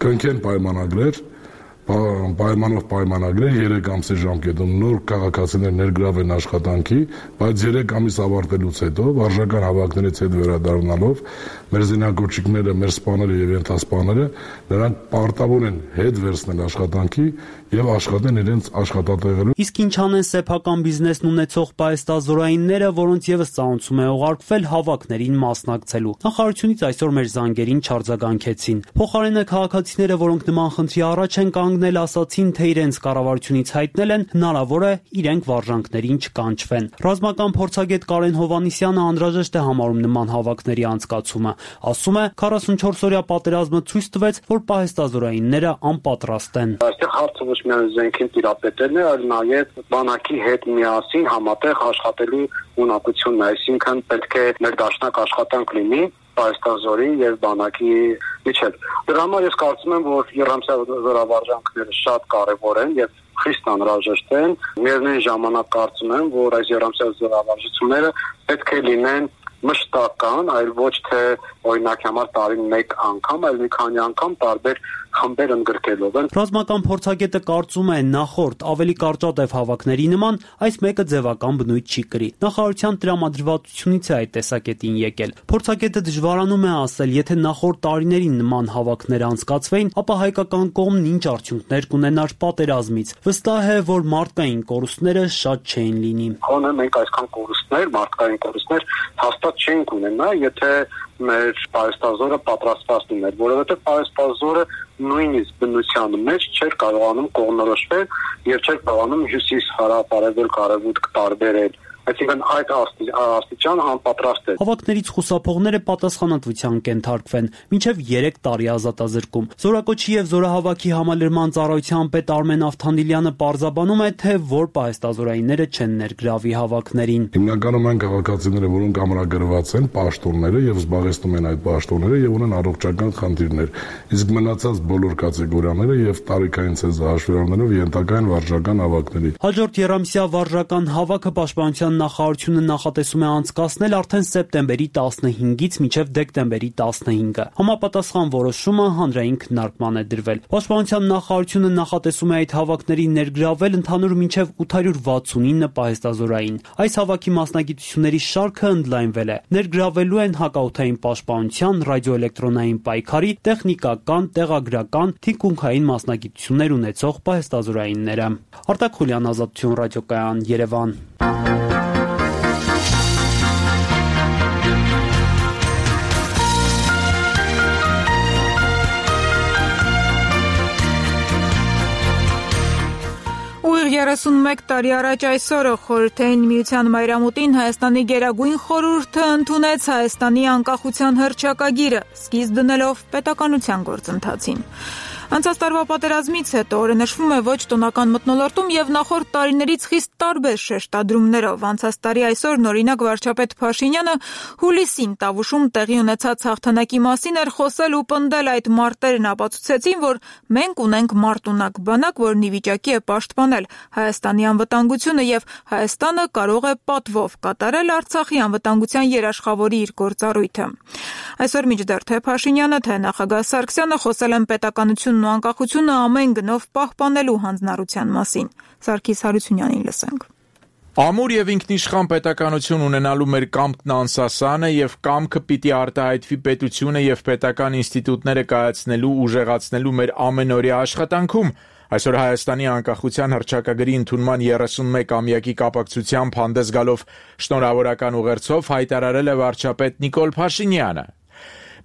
C: կնքեն պայմանագրեր, պայմանով պայմանագրեր երեք ամսի ժամկետում նոր քաղաքացիներ ներգրավեն աշխատանքի, բայց երեք ամիս ավարտելուց հետո վարժական հավաքներից հետ վերադառնալով մեր զինակոչիկները, մեր սպաները եւ ենթասպաները նրանք պարտավոր են հետ վերցնել աշխատանքի եւ աշխատեն իրենց աշխատատեղերում։
L: Իսկ ինչ անեն սեփական բիզնեսն ունեցող պահեստազորայինները, որոնց եւս ծանոթում է ուղարկվել հավաքներին մասնակցելու։ Նախարարությունից այսօր մեր զանգերին չարձագանքեցին։ Փոխարենը քաղաքացիները, որոնք նման խնդրի առաջ են կանգնել, ասացին, թե իրենց կառավարությունից հայտնել են, հնարավոր է իրենք վարժանքներին չկանչվեն։ Ռազմական փորձագետ Կարեն Հովանիսյանը անհրաժեշտ է համարում նման հավաքների անցկացումը։ Ասում է, քառասունչորս օրյա պատերազմը ցույց տվեց, որ պահեստազորայինները անպատրաստ են։
N: Այստեղ հարցը ոչ միայն զենքին տիրապետելն է, այլ նաև բանակի հետ միասին համատեղ աշխատելու ունակությունն է, այսինքն պետք է ներդաշնակ աշխատանք լինի պահեստազորի եւ բանակի միջեւ։ Դրա համար ես կարծում եմ, որ եռամսյա զորավարժանքները շատ կարեւոր են եւ խիստ անհրաժեշտ են։ Միևնույն ժամանակ կարծում եմ, որ այս եռամսյա զորավարժությունները պետք է լինեն մշտական, այլ ոչ թե օրինակ համար տարին մեկ անգամ, այլ մի քանի անգամ տարբեր խմբեր ընդգրկելով են։
L: Ռազմական փորձագետը կարծում է, նախորդ ավելի կարճատև հավաքների նման այս մեկը ձևական բնույթ չի կրի։ Նախարարության տրամադրվածությունից է այդ տեսակետին եկել։ Փորձագետը դժվարանում է ասել, եթե նախորդ տարիներին նման հավաքներ անցկացվեին, ապա հայկական կողմն ինչ արդյունքներ կունենար պատերազմից։ Վստահ է, որ մարդկային կորուստները շատ չէին լինի։
N: Հոնը մենք այսքան կորուստներ, մարդկային կորուստներ հաստատ չենք ունենա, եթե մեր պահեստազորը պատրաստված լիներ, որովհետև պահեստազորը նույնիսկ բնության մեջ չէր կարողանում կողմնորոշվել եւ չէր կարողանում հյուսիս հարավ արևելք արևմուտք տարբերել, Այսինքն այդ աստիճան անպատրաստ է։
L: Հավաքներից խուսափողները պատասխանատվության կենթարկվեն մինչև երեք տարի ազատազրկում։ Զորակոչի եւ զորահավաքի համալրման ծառայության պետ Արմեն Ավթանդիլյանը պարզաբանում է, թե որ պահեստազորայինները չեն ներգրավի հավաքներին։
C: Հիմնականում այն քաղաքացիները, որոնք ամրագրված են, պաշտոնները եւ զբաղեցնում են այդ պաշտոնները եւ ունեն առողջական խնդիրներ, իսկ մնացած բոլոր կատեգորիաները եւ տարիքային ցեզը հաշվի առնելով ենթակա են վարժական հավաքների։
L: Հաջորդ երամսյա վարժական հավաքը պաշտպանության նախարարությունը նախատեսում է անցկացնել արդեն սեպտեմբերի տասնհինգից մինչև դեկտեմբերի տասնհինգը։ Համապատասխան որոշումը հանրային քննարկման է դրվել։ Պաշտպանության նախարարությունը նախատեսում է այդ հավաքների ներգրավել ընդհանուր մինչև ութ հարյուր վաթսունինը պահեստազորային։ Այս հավաքի մասնագիտությունների շարքը ընդլայնվել է։ Ներգրավելու են հակաօդային պաշտպանության, ռադիոէլեկտրոնային պայքարի, տեխնիկական, տեղագրական, թիկունքային մասնագիտություններ ունեցող պահեստազորայինները։ Արտակ Խուլյան, Ազատություն ռադիոկայան, Երևան։
A: երեսունմեկ տարի առաջ այսօրը Խորհրդային Միության մայրամուտին Հայաստանի Գերագույն խորհուրդը ընդունեց Հայաստանի անկախության հռչակագիրը, սկիզբ դնելով պետականության գործընթացին։ Անցած տարվա պատերազմից հետո օրենշվում է ոչ տոնական մթնոլորտում եւ նախորդ տարիներից խիստ տարբեր շեշտադրումներով։ Անցած տարի այսօր նորինակ վարչապետ Փաշինյանը հուլիսին Տավուշում տեղի ունեցած հաղթանակի մասին էր խոսել ու պնդել այդ մարտերն ապացուցեցին, որ մենք ունենք մարտունակ բանակ, որն ի վիճակի է պաշտպանել Հայաստանի անվտանգությունը եւ Հայաստանը կարող է պատվով կատարել Արցախի անվտանգության երաշխավորի իր գործառույթը։ Այսօր մինչդեռ թե Փաշինյանը, թե նախագահ Սարգսյանը խոսել են պետականություն ու անկախությունը ամեն գնով պահպանելու հանձնառության մասին։ Սարգիս Հարությունյանին լսենք։
O: Ամուր եւ ինքնիշխան պետականություն ունենալու մեր կամքն անսասան է եւ կամքը պիտի արտահայտվի պետությունը եւ պետական ինստիտուտները կայացնելու, ուժեղացնելու մեր ամենօրյա աշխատանքում։ Այսօր Հայաստանի անկախության հռչակագրի ընդունման երեսունմեկ-ամյակի կապակցությամբ հանդես գալով շնորհավորական ուղերձով հայտարարել է վարչապետ Նիկոլ Փաշինյանը։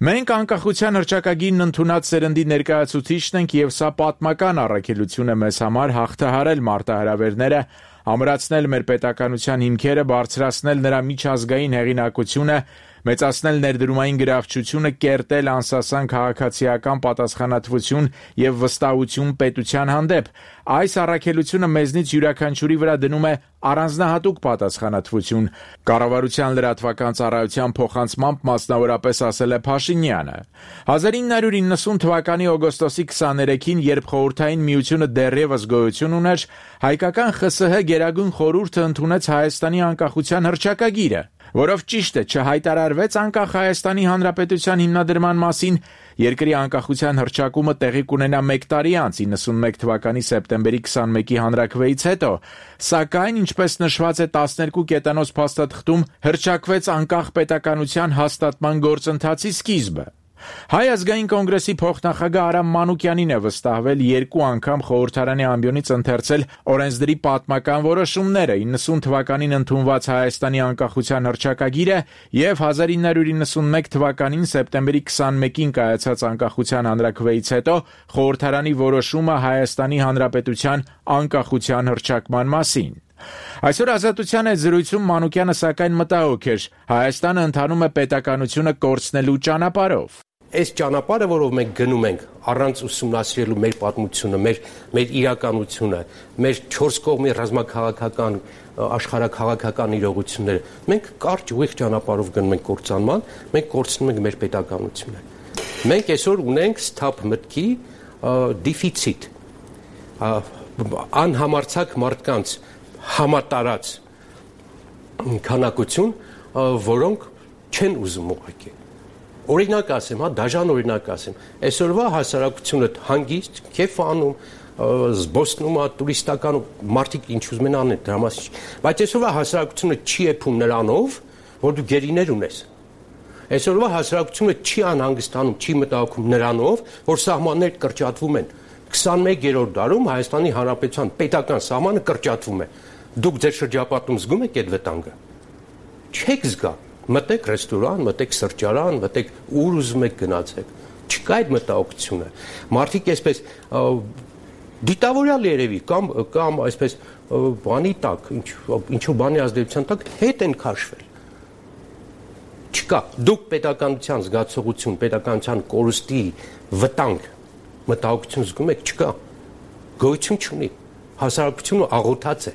O: Մենք անկախության հռչակագիրն ընդունած սերնդի ներկայացուցիչն ենք եւ սա պատմական առաքելություն է մեզ համար հաղթահարել մարտահրավերները, ամրացնել մեր պետականության հիմքերը, բարձրացնել նրա միջազգային հեղինակությունը, մեծացնել ներդրումային գրավչությունը, կերտել անսասան քաղաքացիական պատասխանատվություն եւ վստահություն պետության հանդեպ։ Այս առաքելությունը մեզնից յուրաքանչյուրի վրա դնում է առանձնահատուկ պատասխանատվություն, կառավարության լրատվական ծառայության փոխանցմամբ մասնավորապես ասել է Փաշինյանը։ հազար ինը հարյուր իննսուն թվականի օգոստոսի քսաներեքին, երբ Խորհրդային Միությունը դեռևս գոյություն ուներ, հայկական Խ Ս Հ Գերագույն խորհուրդը ընդունեց Հայաստանի անկախության հռչակագիրը, որով ճիշտ է չհայտարարվեց անկախ Հայաստանի Հանրապետության հիմնադրման մասին, երկրի անկախության հռչակումը տեղի կունենա մեկ տարի անց իննսունմեկ թվականի սեպտեմբերի քսանմեկի հանրաքվեից հետո, սակայն ինչպես նշված է տասներկու կետանոց փաստաթղթում, հռչակվեց անկախ պետականության հաստատման գործընթացի սկիզբը։ Հայ ազգային կոնգրեսի փոխնախագահ Արամ Մանուկյանին է վստահվել երկու անգամ խորհրդարանի ամբիոնից ընթերցել օրենսդրի պատմական որոշումները, իննսուն թվականին ընդունված Հայաստանի անկախության հռչակագիրը եւ հազար ինը հարյուր իննսունմեկ թվականին սեպտեմբերի քսանմեկին կայացած անկախության հանրաքվեից հետո խորհրդարանի որոշումը Հայաստանի Հանրապետության անկախության հռչակման մասին։ Այսօր Ազատության այդ զրույցում Մանուկյանը սակայն մտահոգ էր. Հայաստանը ընթանում է պետականությունը կորցնելու ճանապարհով։
D: Այս ճանապարհը, որով մենք գնում ենք, առանց ուսումնասիրելու մեր պատմությունը, մեր մեր իրականությունը, մեր չորս կողմի ռազմաքաղաքական, աշխարհաքաղաքական իրողությունները, մենք կարճ ուղիղ ճանապարհով գնում ենք կործանման, մենք կորցնում ենք մեր պետականությունը։ Մենք այսօր ունենք սթափ մտքի դեֆիցիտ, անհամարցակ մարդկանց համատարած քանակություն, որոնք չեն ուզում ուղղակի։ Օրինակ ասեմ, հա, դաժան օրինակ ասեմ, այսօրվա հասարակությունը հանգիստ, քեֆ անում, զբոսնում է, տուրիստական մարդիկ ինչ ուզում են անեն, դրա մասին, բայց այսօրվա հասարակությունը չի էփում նրանով, որ դու գերիներ ունես։ Այսօրվա հասարակությունը չի անհանգստանում, չի մտահոգում նրանով, որ սահմաններ կրճատվում են։ քսանմեկերորդ դարում Հայաստանի Հանրապետության պետական սահմանը կրճատվում է։ Դուք ձեր շրջապատում զգում եք այդ վտանգը։ Չեք զգա։ Մտեք ռեստորան, մտեք սրճարան, մտեք ուր ուզում եք գնացեք։ Չկա այդ մտահոգությունը։ Մարդիկ այսպես դիտավորյալ երևի կամ կամ այսպես բանի տակ, ինչ ինչու բանի ազդեցության տակ հետ են քաշվել։ Չկա, դուք պետականության զգացողություն, պետականության կորուստի վտանգ, մտահոգություն զգում եք, չկա։ Գոյություն չունի։ Հասարակությունը աղոթած է։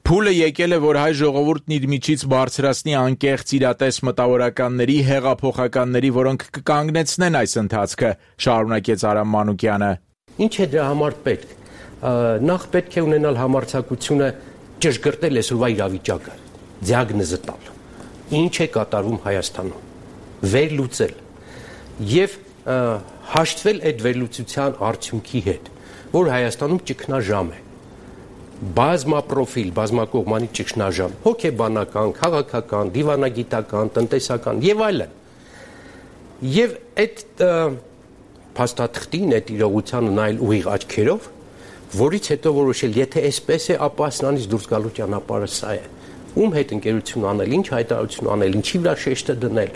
O: Փուլը եկել է, որ հայ ժողովուրդն իր միջից բարձրացնի անկեղծ իրատես մտավորականների, հեղափոխականների, որոնք կկանգնեցնեն այս ընթացքը, շարունակեց Արամ Մանուկյանը։
D: Ինչ է դրա համար պետք։ Նախ պետք է ունենալ համարձակությունը ճշգրտել այսօրվա իրավիճակը, դիագնոզը տալ։ Ինչ է կատարվում Հայաստանում, վերլուծել եւ հաշտվել այդ վերլուծության արդյունքի հետ, որ Հայաստանում ճգնաժամ է։ Բազմապրոֆիլ, բազմակողմանի ճգնաժամ, հոգեբանական, քաղաքական, դիվանագիտական, տնտեսական եւ այլն։ Եվ այդ փաստաթղթին, այդ իրողությանը նայել ուղիղ աչքերով, որից հետո որոշել, եթե այսպես է, ապա սրանից դուրս գալու ճանապարհը սա է։ Ում հետ ընկերություն անել, ինչ հայտարարություն անել, ինչի վրա շեշտը դնել,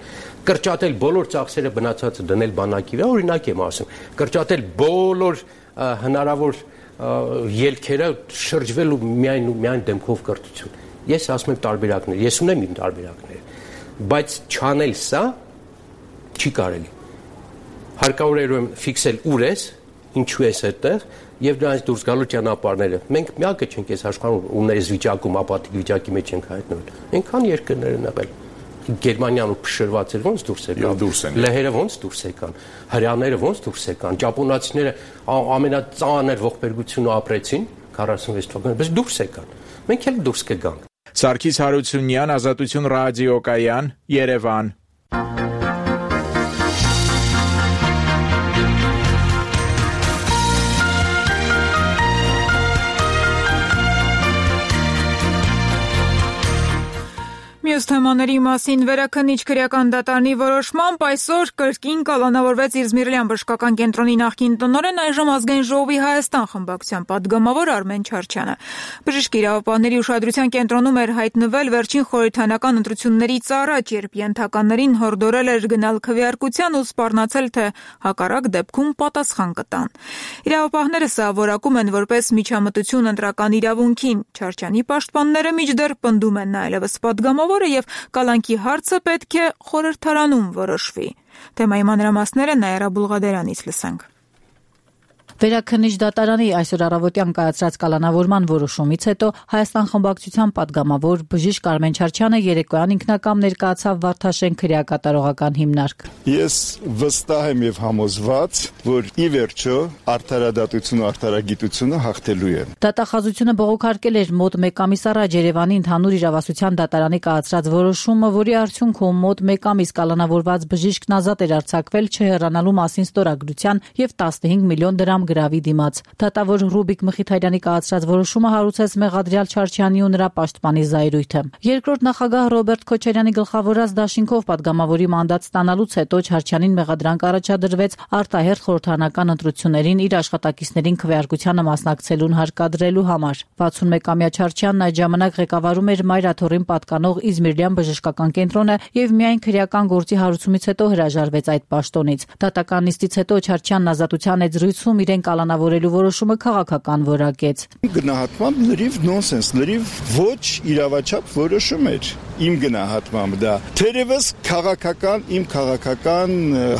D: կրճատել բոլոր ծախսերը բնացածը դնել բանակի վրա, օրինակ եմ ասում, կրճատել բոլոր հնարավոր ելքերը շրջվելու միայն ու միայն դեմքով կրթություն։ Ես ասում եմ տարբերակներ, ես ունեմ իմ տարբերակները, բայց չանել սա չի կարելի։ Հարկավոր է ուրեմն ֆիքսել ուր ես, ինչու ես այդտեղ եւ դրանից դուրս գալու ճանապարհները։ Մենք միակը չենք այս աշխարհում, ում այս վիճակում ապաթիկ վիճակի մեջ ենք հայտնվել։ Այնքան երկրներ են եղել։ Գերմանիան ու փշրված էր ոնց դուրս եկան, լեհերը ոնց դուրս եկան, հրեաները ոնց դուրս եկան, ճապոնացիները ամենածանր ողբերգությունը ապրեցին քառասունվեց թվականին, բայց դուրս եկան։ Մենք էլ դուրս կգանք։
O: Սարգիս Հարությունյան, Ազատություն ռադիոկայան, Երևան։
A: Մյուս թեմաների մասին վերաքննիչ քրեական դատարանի որոշմամբ այսօր կրկին կալանավորվեց Իզմիրլյան բժշկական կենտրոնի նախկին տնօրեն, այժմ Ազգային ժողովի Հայաստան խմբակցության պատգամավոր Արմեն Չարչյանը։ Բժիշկ իրավապահների ուշադրության կենտրոնում էր հայտնվել վերջին խորհրդանական ընտրություններից առաջ, երբ ենթականերին հորդորել էր գնալ քվեարկության ու սպառնացել, թե հակառակ դեպքում պատասխան կտան։ Իրավապահները սա որակում են որպես միջամտություն ընտրական իրավունքին։ Չարչյանի պաշտպանները մինչդեռ պնդում են նա այլևս պատգամավոր եւ կալանքի հարցը պետք է խորհրդարանում որոշվի։ Թեմայի մանրամասները Նաիրա Բուլղադերանից լսենք։
P: Վերաքննիչ դատարանի այսօր առավոտյան կայացրած կալանավորման որոշումից հետո Հայաստան խմբակցության պատգամավոր բժիշկ Արմեն Չարչյանը երեկոյան ինքնակամ ներկայացավ Վարդաշեն քրեակատարողական հիմնարկ։
E: Ես վստահ եմ եւ համոզված, որ ի վերջո արդարադատությունը, արդարագիտությունը հաղթելու է։
P: Դատախազությունը բողոքարկել էր մոտ մեկ ամիս առաջ Երևանի ընդհանուր իրավասության դատարանի կայացրած որոշումը, որի արդյունքում մոտ մեկ ամիս կալանավորված բժիշկն ազատ էր արձակվել չհեռանալու մասին ստորագրության եւ տասնհինգ միլիոն դրամ գրավի դիմաց։ Դատավոր Ռուբիկ Մխիթարյանի կայացրած որոշումը հարուցեց մեղադրյալ Չարչյանի ու նրա պաշտպանի զայրույթը։ Երկրորդ նախագահ Ռոբերտ Քոչարյանի գլխավորած դաշինքով պատգամավորի մանդատ ստանալուց հետո Չարչյանին մեղադրանք առաջադրվեց արտահերթ խորհրդարանական ընտրություններին իր աշխատակիցներին քվեարկությանը մասնակցելուն հարկադրելու համար։ վաթսունմեկամյա Չարչյանն այդ ժամանակ ղեկավարում էր Մայրաթորին պատկանող Իզմիրլյան բժշկական կենտրոնը եւ միայն քրեական գործի հարուցումից հետո հրաժարվեց այդ պաշտոնից։ Դատական նիստից հետո Չարչյանն ազատության այդ զրույցում իրեն կալանավորելու որոշումը քաղաքական որակեց։
E: Գնահատմամբ լրիվ նոնսենս, լրիվ ոչ իրավաչափ որոշում էր։ Իմ գնահատմամբ դա թերևս քաղաքական, իմ քաղաքական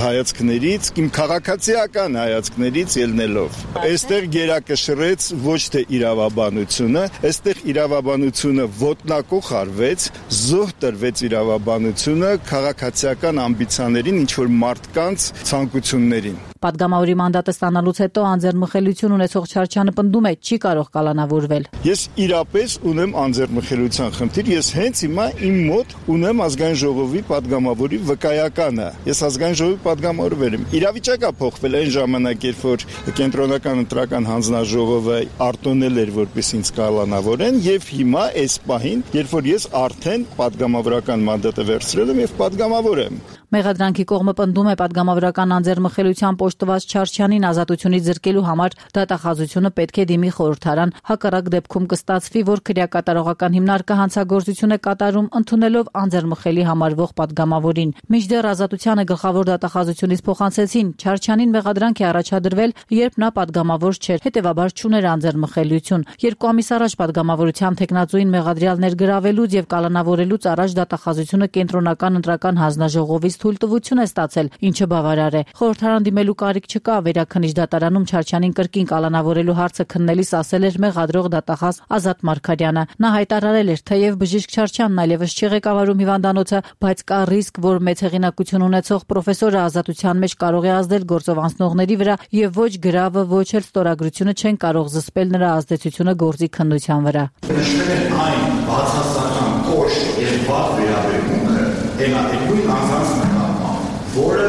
E: հայացքներից, իմ քաղաքացիական հայացքներից ելնելով։ Այստեղ գերակշռեց ոչ թե իրավաբանությունը, այստեղ իրավաբանությունը ոտնակող արվեց, զոհ տրվեց իրավաբանությունը քաղաքացիական ամբիցիաներին, ինչ որ մարդկանց ցանկություններին։
P: Պատգամավորի մանդատը ստանալուց հետո անձեռնմխելիություն ունեցող Չարչյանը պնդում է, չի կարող կալանավորվել։
E: Ես իրապես ունեմ անձեռնմխելիության խնդիր, ես հենց հիմա իմ մոտ ունեմ Ազգային ժողովի պատգամավորի վկայականը։ Ես Ազգային ժողովի պատգամավոր եմ։ Իրավիճակը փոխվել այն ժամանակ, երբ որ կենտրոնական ընտրական հանձնաժողովը արտոնել էր, որպես ինձ կալանավորեն, եւ հիմա այս պահին, երբ որ ես արդեն պատգամավորական մանդատը վերցրել եմ եւ պատգամավոր եմ։
P: Մեղադրանքի կողմը պնդում է պատգամավորական անձեռնմխելիության պոշտված Չարչյանին ազատությունից զրկելու համար դատախազությունը պետք է դիմի խորհրդարան, հակառակ դեպքում կստացվի, որ քրեակատարողական հիմնարկը հանցագործություն է կատարում ընդունելով անձեռնմխելի համարվող պատգամավորին։ Մինչդեռ ազատությանը գլխավոր դատախազությունից փոխանցեցին Չարչյանին մեղադրանք է առաջադրվել, երբ նա պատգամավոր չէր, հետևաբար չուներ անձեռնմխելիություն։ Երկու ամիս առաջ պատգամավորության թեկնածուին մեղադրյալ ներգրավելուց եւ կալանավորելուց առաջ դատախազությունը կենտրոնական ընտրական հանձնաժողովից թույլտվություն է ստացել, ինչը բավարար է։ Խորհրդարան դիմելու կարիք չկա, վերաքննիչ դատարանում Չարչյանին կրկին կալանավորելու հարցը քննելիս ասել էր մեղադրող դատախազ Ազատ Մարգարյանը։ Նա հայտարարել էր, թեև բժիշկ Չարչյանն այլևս չի ղեկավարում հիվանդանոցը, բայց կա ռիսկ, որ մեծ հեղինակություն ունեցող պրոֆեսորը ազատության մեջ կարող է ազդել գործով անցնողների վրա եւ ոչ գրավը, ոչ էլ ստորագրությունը չեն կարող զսպել նրա ազդեցությունը գործի քննության վրա։
Q: Նշվել է այն բացասական կոշտ եւ վատ վերաբերմունքը հետագույն անձանց նկատմամբ, որը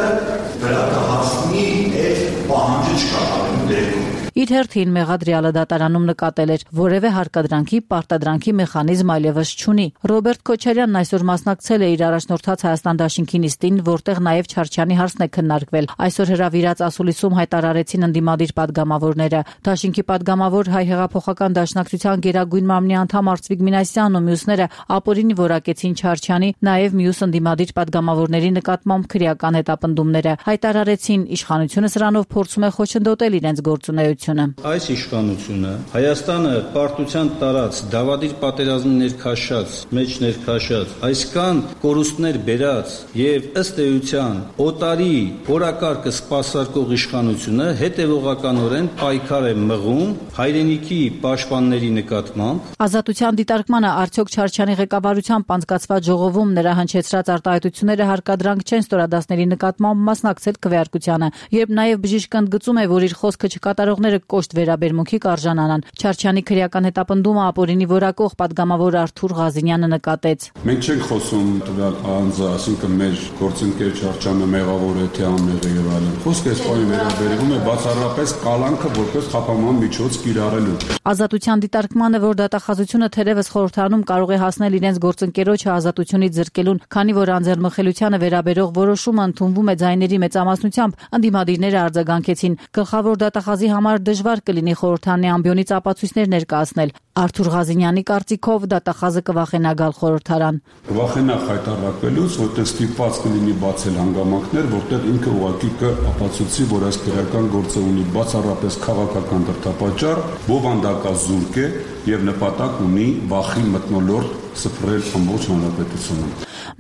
Q: դրա կհասնի այդ պահանջը չկատարելու դեպքում։
P: Իր հերթին մեղադրյալը դատարանում նկատել էր, որևէ հարկադրանքի պարտադրանքի մեխանիզմ այլևս չունի։ Ռոբերտ Քոչարյանն այսօր մասնակցել է իր առաջնորդած Հայաստան դաշինքի նիստին, որտեղ նաև Չարչյանի հարցն է քննարկվել։ Այսօր հրավիրած ասուլիսում հայտարարեցին ընդդիմադիր պատգամավորները։ Դաշինքի պատգամավոր Հայ հեղափոխական դաշնակցության գերագույն մամլի անդամ Արծվիկ Մինասյանն ու մյուսները ապօրինի որակեցին Չարչյանի, նաև մյուս ընդդիմադիր պատգամավորների նկատմամբ քրեական հետապնդումները։ Հայտարարեցին, իշխանությունը սրանով փորձում է խոչընդոտել իրենց գործունեությունը։
R: Այս իշխանությունը Հայաստանը պարտության տարած, դավադիր պատերազմի ներքաշած, մեջ ներքաշած, այսքան կորուստներ բերած եւ ըստ էության օտարի օրակարգը սպասարկող իշխանությունը հետևողականորեն պայքար է մղում հայրենիքի պաշտպանների նկատմամբ։
P: Ազատության դիտարկմանը արդյոք Չարչյանի ղեկավարությամբ անցկացված ժողովում նրա հնչեցրած արտահայտությունները հարկադրանք չեն ստորադասների նկատմամբ մասնակցել քվեարկությանը, երբ նաեւ բժիշկը ընդգծում է, որ իր խոսքը չկատարողները կոշտ վերաբերմունքի կարժանանան։ Չարչյանի քրեական հետապնդումը ապօրինի որակող պատգամավոր Արթուր Ղազինյանը նկատեց։
S: Մենք չենք խոսում տվյալ անձը, այսինքն մեր գործընկեր Չարչյանը մեղավոր է թե անմեղ է եւ այլն։ Խոսքը այս բանի վերաբերվում է բացառապես կալանքը որպես խափանման միջոց կիրառելու։
P: Ազատության դիտարկմանը, որ դատախազությունը թերևս խորհրդարանում կարող է հասնել իրենց գործընկերոջը ազատությունից զրկելուն, քանի որ անձեռնմխելիությանը վերաբերող որոշումը ընդունվում է ձայների մեծամասնությամբ, ընդդիմադիրները արձագանքեցին։ Գլխավոր դատախազի համար դժվար կլինի խորհրդարանի ամբիոնից ապացույցներ ներկայացնել։ Արթուր Ղազինյանի կարծիքով դատախազը կվախենա գալ խորհրդարան։
S: Կվախենա խայտարակվելուց, որտեղ ստիպված կլինի բացել հանգամանքներ, որտեղ ինքը ուղղակի կապացուցի, որ այս քրեական գործը ունի բացառապես քաղաքական դրդապատճառ, բովանդակազուրկ է եւ նպատակ ունի վախի մթնոլորտ սփռել ամբողջ հանրապետությունում։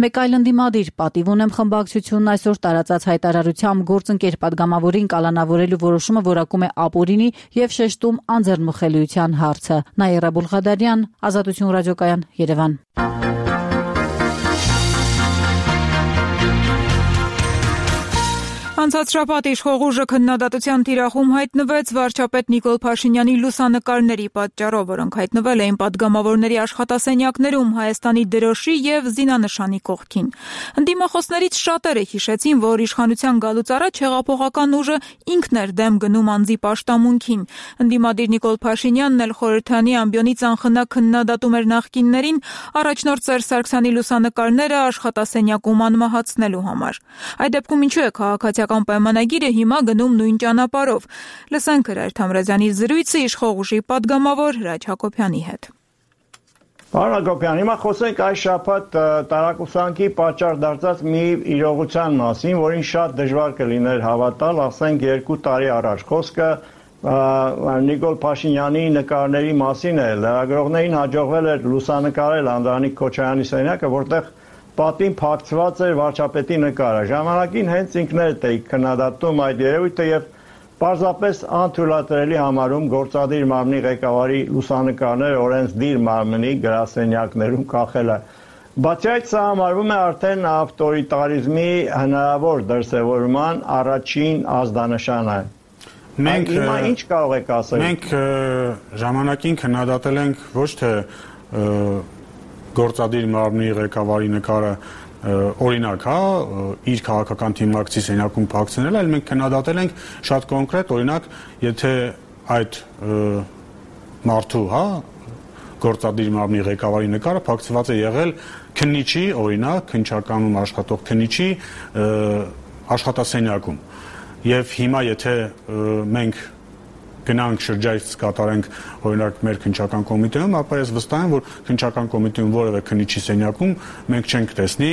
P: Մեկ այլ ընդդիմադիր պատիվ ունեմ խմբակցությունն այսօր տարածած հայտարարությամբ գործընկեր պատգամավորին կալանավորելու որոշումը որակում է ապօրինի եւ շեշտում անձեռնմխելիության հարցը։ Նաիրա Բուլղադարյան, Ազատություն ռադիոկայան, Երևան։
A: Անցած շաբաթ իշխող ուժը քննադատության թիրախում հայտնվեց վարչապետ Նիկոլ Փաշինյանի լուսանկարների պատճառով, որոնք հայտնվել էին պատգամավորների աշխատասենյակներում Հայաստանի դրոշի եւ զինանշանի կողքին։ Ընդդիմախոսներից շատերը հիշեցին, որ իշխանության գալուց առաջ հեղափոխական ուժը ինքն էր դեմ գնում անձի պաշտամունքին։ Ընդդիմադիր Նիկոլ Փաշինյանն էլ խորհրդանի ամբիոնից անխնա քննադատում էր նախկիններին առաջնորդ Սերժ Սարգսյանի լուսանկարները աշխատասենյակում անմահացնելու համար։ Այդ դեպքում ինչու է քաղաքացիական պայմանագիրը հիմա գնում նույն ճանապարհով։ Լսենք Հրայր Թամրազյանի զրույցը իշխող ուժի պատգամավոր Հրաչ Հակոբյանի հետ։
I: Պարոն Հակոբյան, հիմա խոսենք այս շաբաթ տարակուսանքի պատճառ դարձած մի իրողության մասին, որին շատ դժվար կլիներ հավատալ, ասենք երկու տարի առաջ։ Խոսքը Նիկոլ Փաշինյանի նկարների մասին է։ Լրագրողներին հաջողվել էր լուսանկարել Անդրանիկ Քոչարյանի սենյակը, որտեղ պատին փակցված էր վարչապետի նկարը։ Ժամանակին հենց ինքներդ եք քննադատում այդ երևույթը եւ պարզապես անթույլատրելի համարում գործադիր մարմնի ղեկավարի լուսանկարները օրենսդիր մարմնի գրասենյակներում կախելը։ Բացի այդ, սա համարվում է արդեն ավտորիտարիզմի հնարավոր դրսևորման առաջին ազդանշանը։
M: Մենք
I: հիմա ինչ կարող եք ասել։
M: Մենք ժամանակին քննադատել ենք ոչ թե գործադիր մարմնի ղեկավարի նկարը օրինակ, հա, իր քաղաքական թիմակցի սենյակում փակցնել, այլ մենք քննադատել ենք շատ կոնկրետ, օրինակ, եթե այդ մարդու, հա, գործադիր մարմնի ղեկավարի նկարը փակցված է եղել քննիչի, օրինակ, քննչականում աշխատող քննիչի աշխատասենյակում։ Եվ հիմա եթե մենք գնանք շրջայց կատարենք օրինակ մեր քննչական կոմիտեում, ապա ես վստահ եմ, որ քննչական կոմիտեում որևէ քննիչի սենյակում մենք չենք տեսնի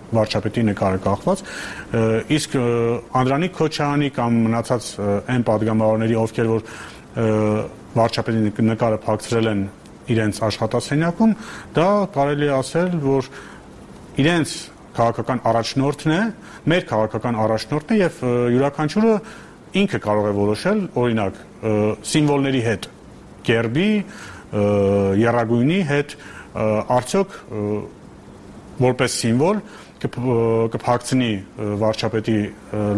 M: վարչապետի նկարը կախված, իսկ Անդրանիկ Քոչարյանի կամ մնացած այն падգամավորների, ովքեր որ վարչապետի նկարը փակցրել են իրենց աշխատասենյակում, դա կարելի է ասել, որ իրենց քաղաքական առաջնորդն է, մեր քաղաքական առաջնորդն է եւ յուրաքանչյուրը ինքը կարող է որոշել, օրինակ, սիմվոլների հետ, գերբի, եռագույնի հետ, արդյոք որպես սիմվոլ կփակցնի վարչապետի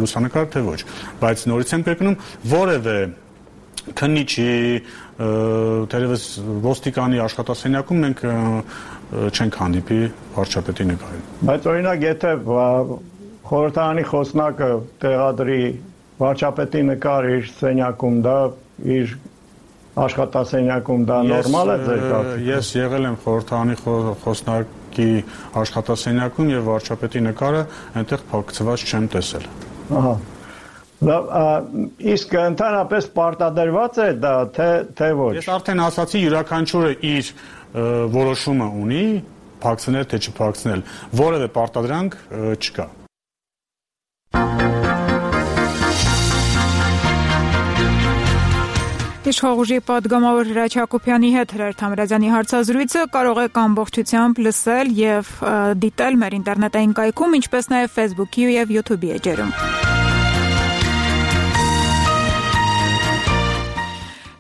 M: լուսանկար թե ոչ, բայց նորից եմ կրկնում, որևէ քննիչի, թերևս ոստիկանի աշխատասենյակում մենք չենք հանդիպի վարչապետի նկարին։
I: Բայց օրինակ, եթե խորհրդարանի խոսնակը տեղադրի վարչապետի նկար իր սենյակում, դա իր աշխատասենյակում, դա նորմալ է ձեր կարծիքով։ Ես
M: եղել եմ խորհրդարանի խոսնակի աշխատասենյակում եւ վարչապետի նկարը այնտեղ փակցված չեմ տեսել։ Ահա։
I: Իսկ ընդհանրապես պարտադրված է դա, թե ոչ։
M: Ես արդեն ասացի, յուրաքանչյուրը իր որոշումը ունի, փակցնել թե չփակցնել, որևէ պարտադրանք չկա։
A: Իշխող ուժի падգամավոր Հրաչ Հակոբյանի հետ Հրայր Թամրազյանի հարցազրույցը կարող եք ամբողջությամբ լսել եւ դիտել մեր ինտերնետային կայքում, ինչպես նաեւ Facebook-ի եւ YouTube-ի էջերում։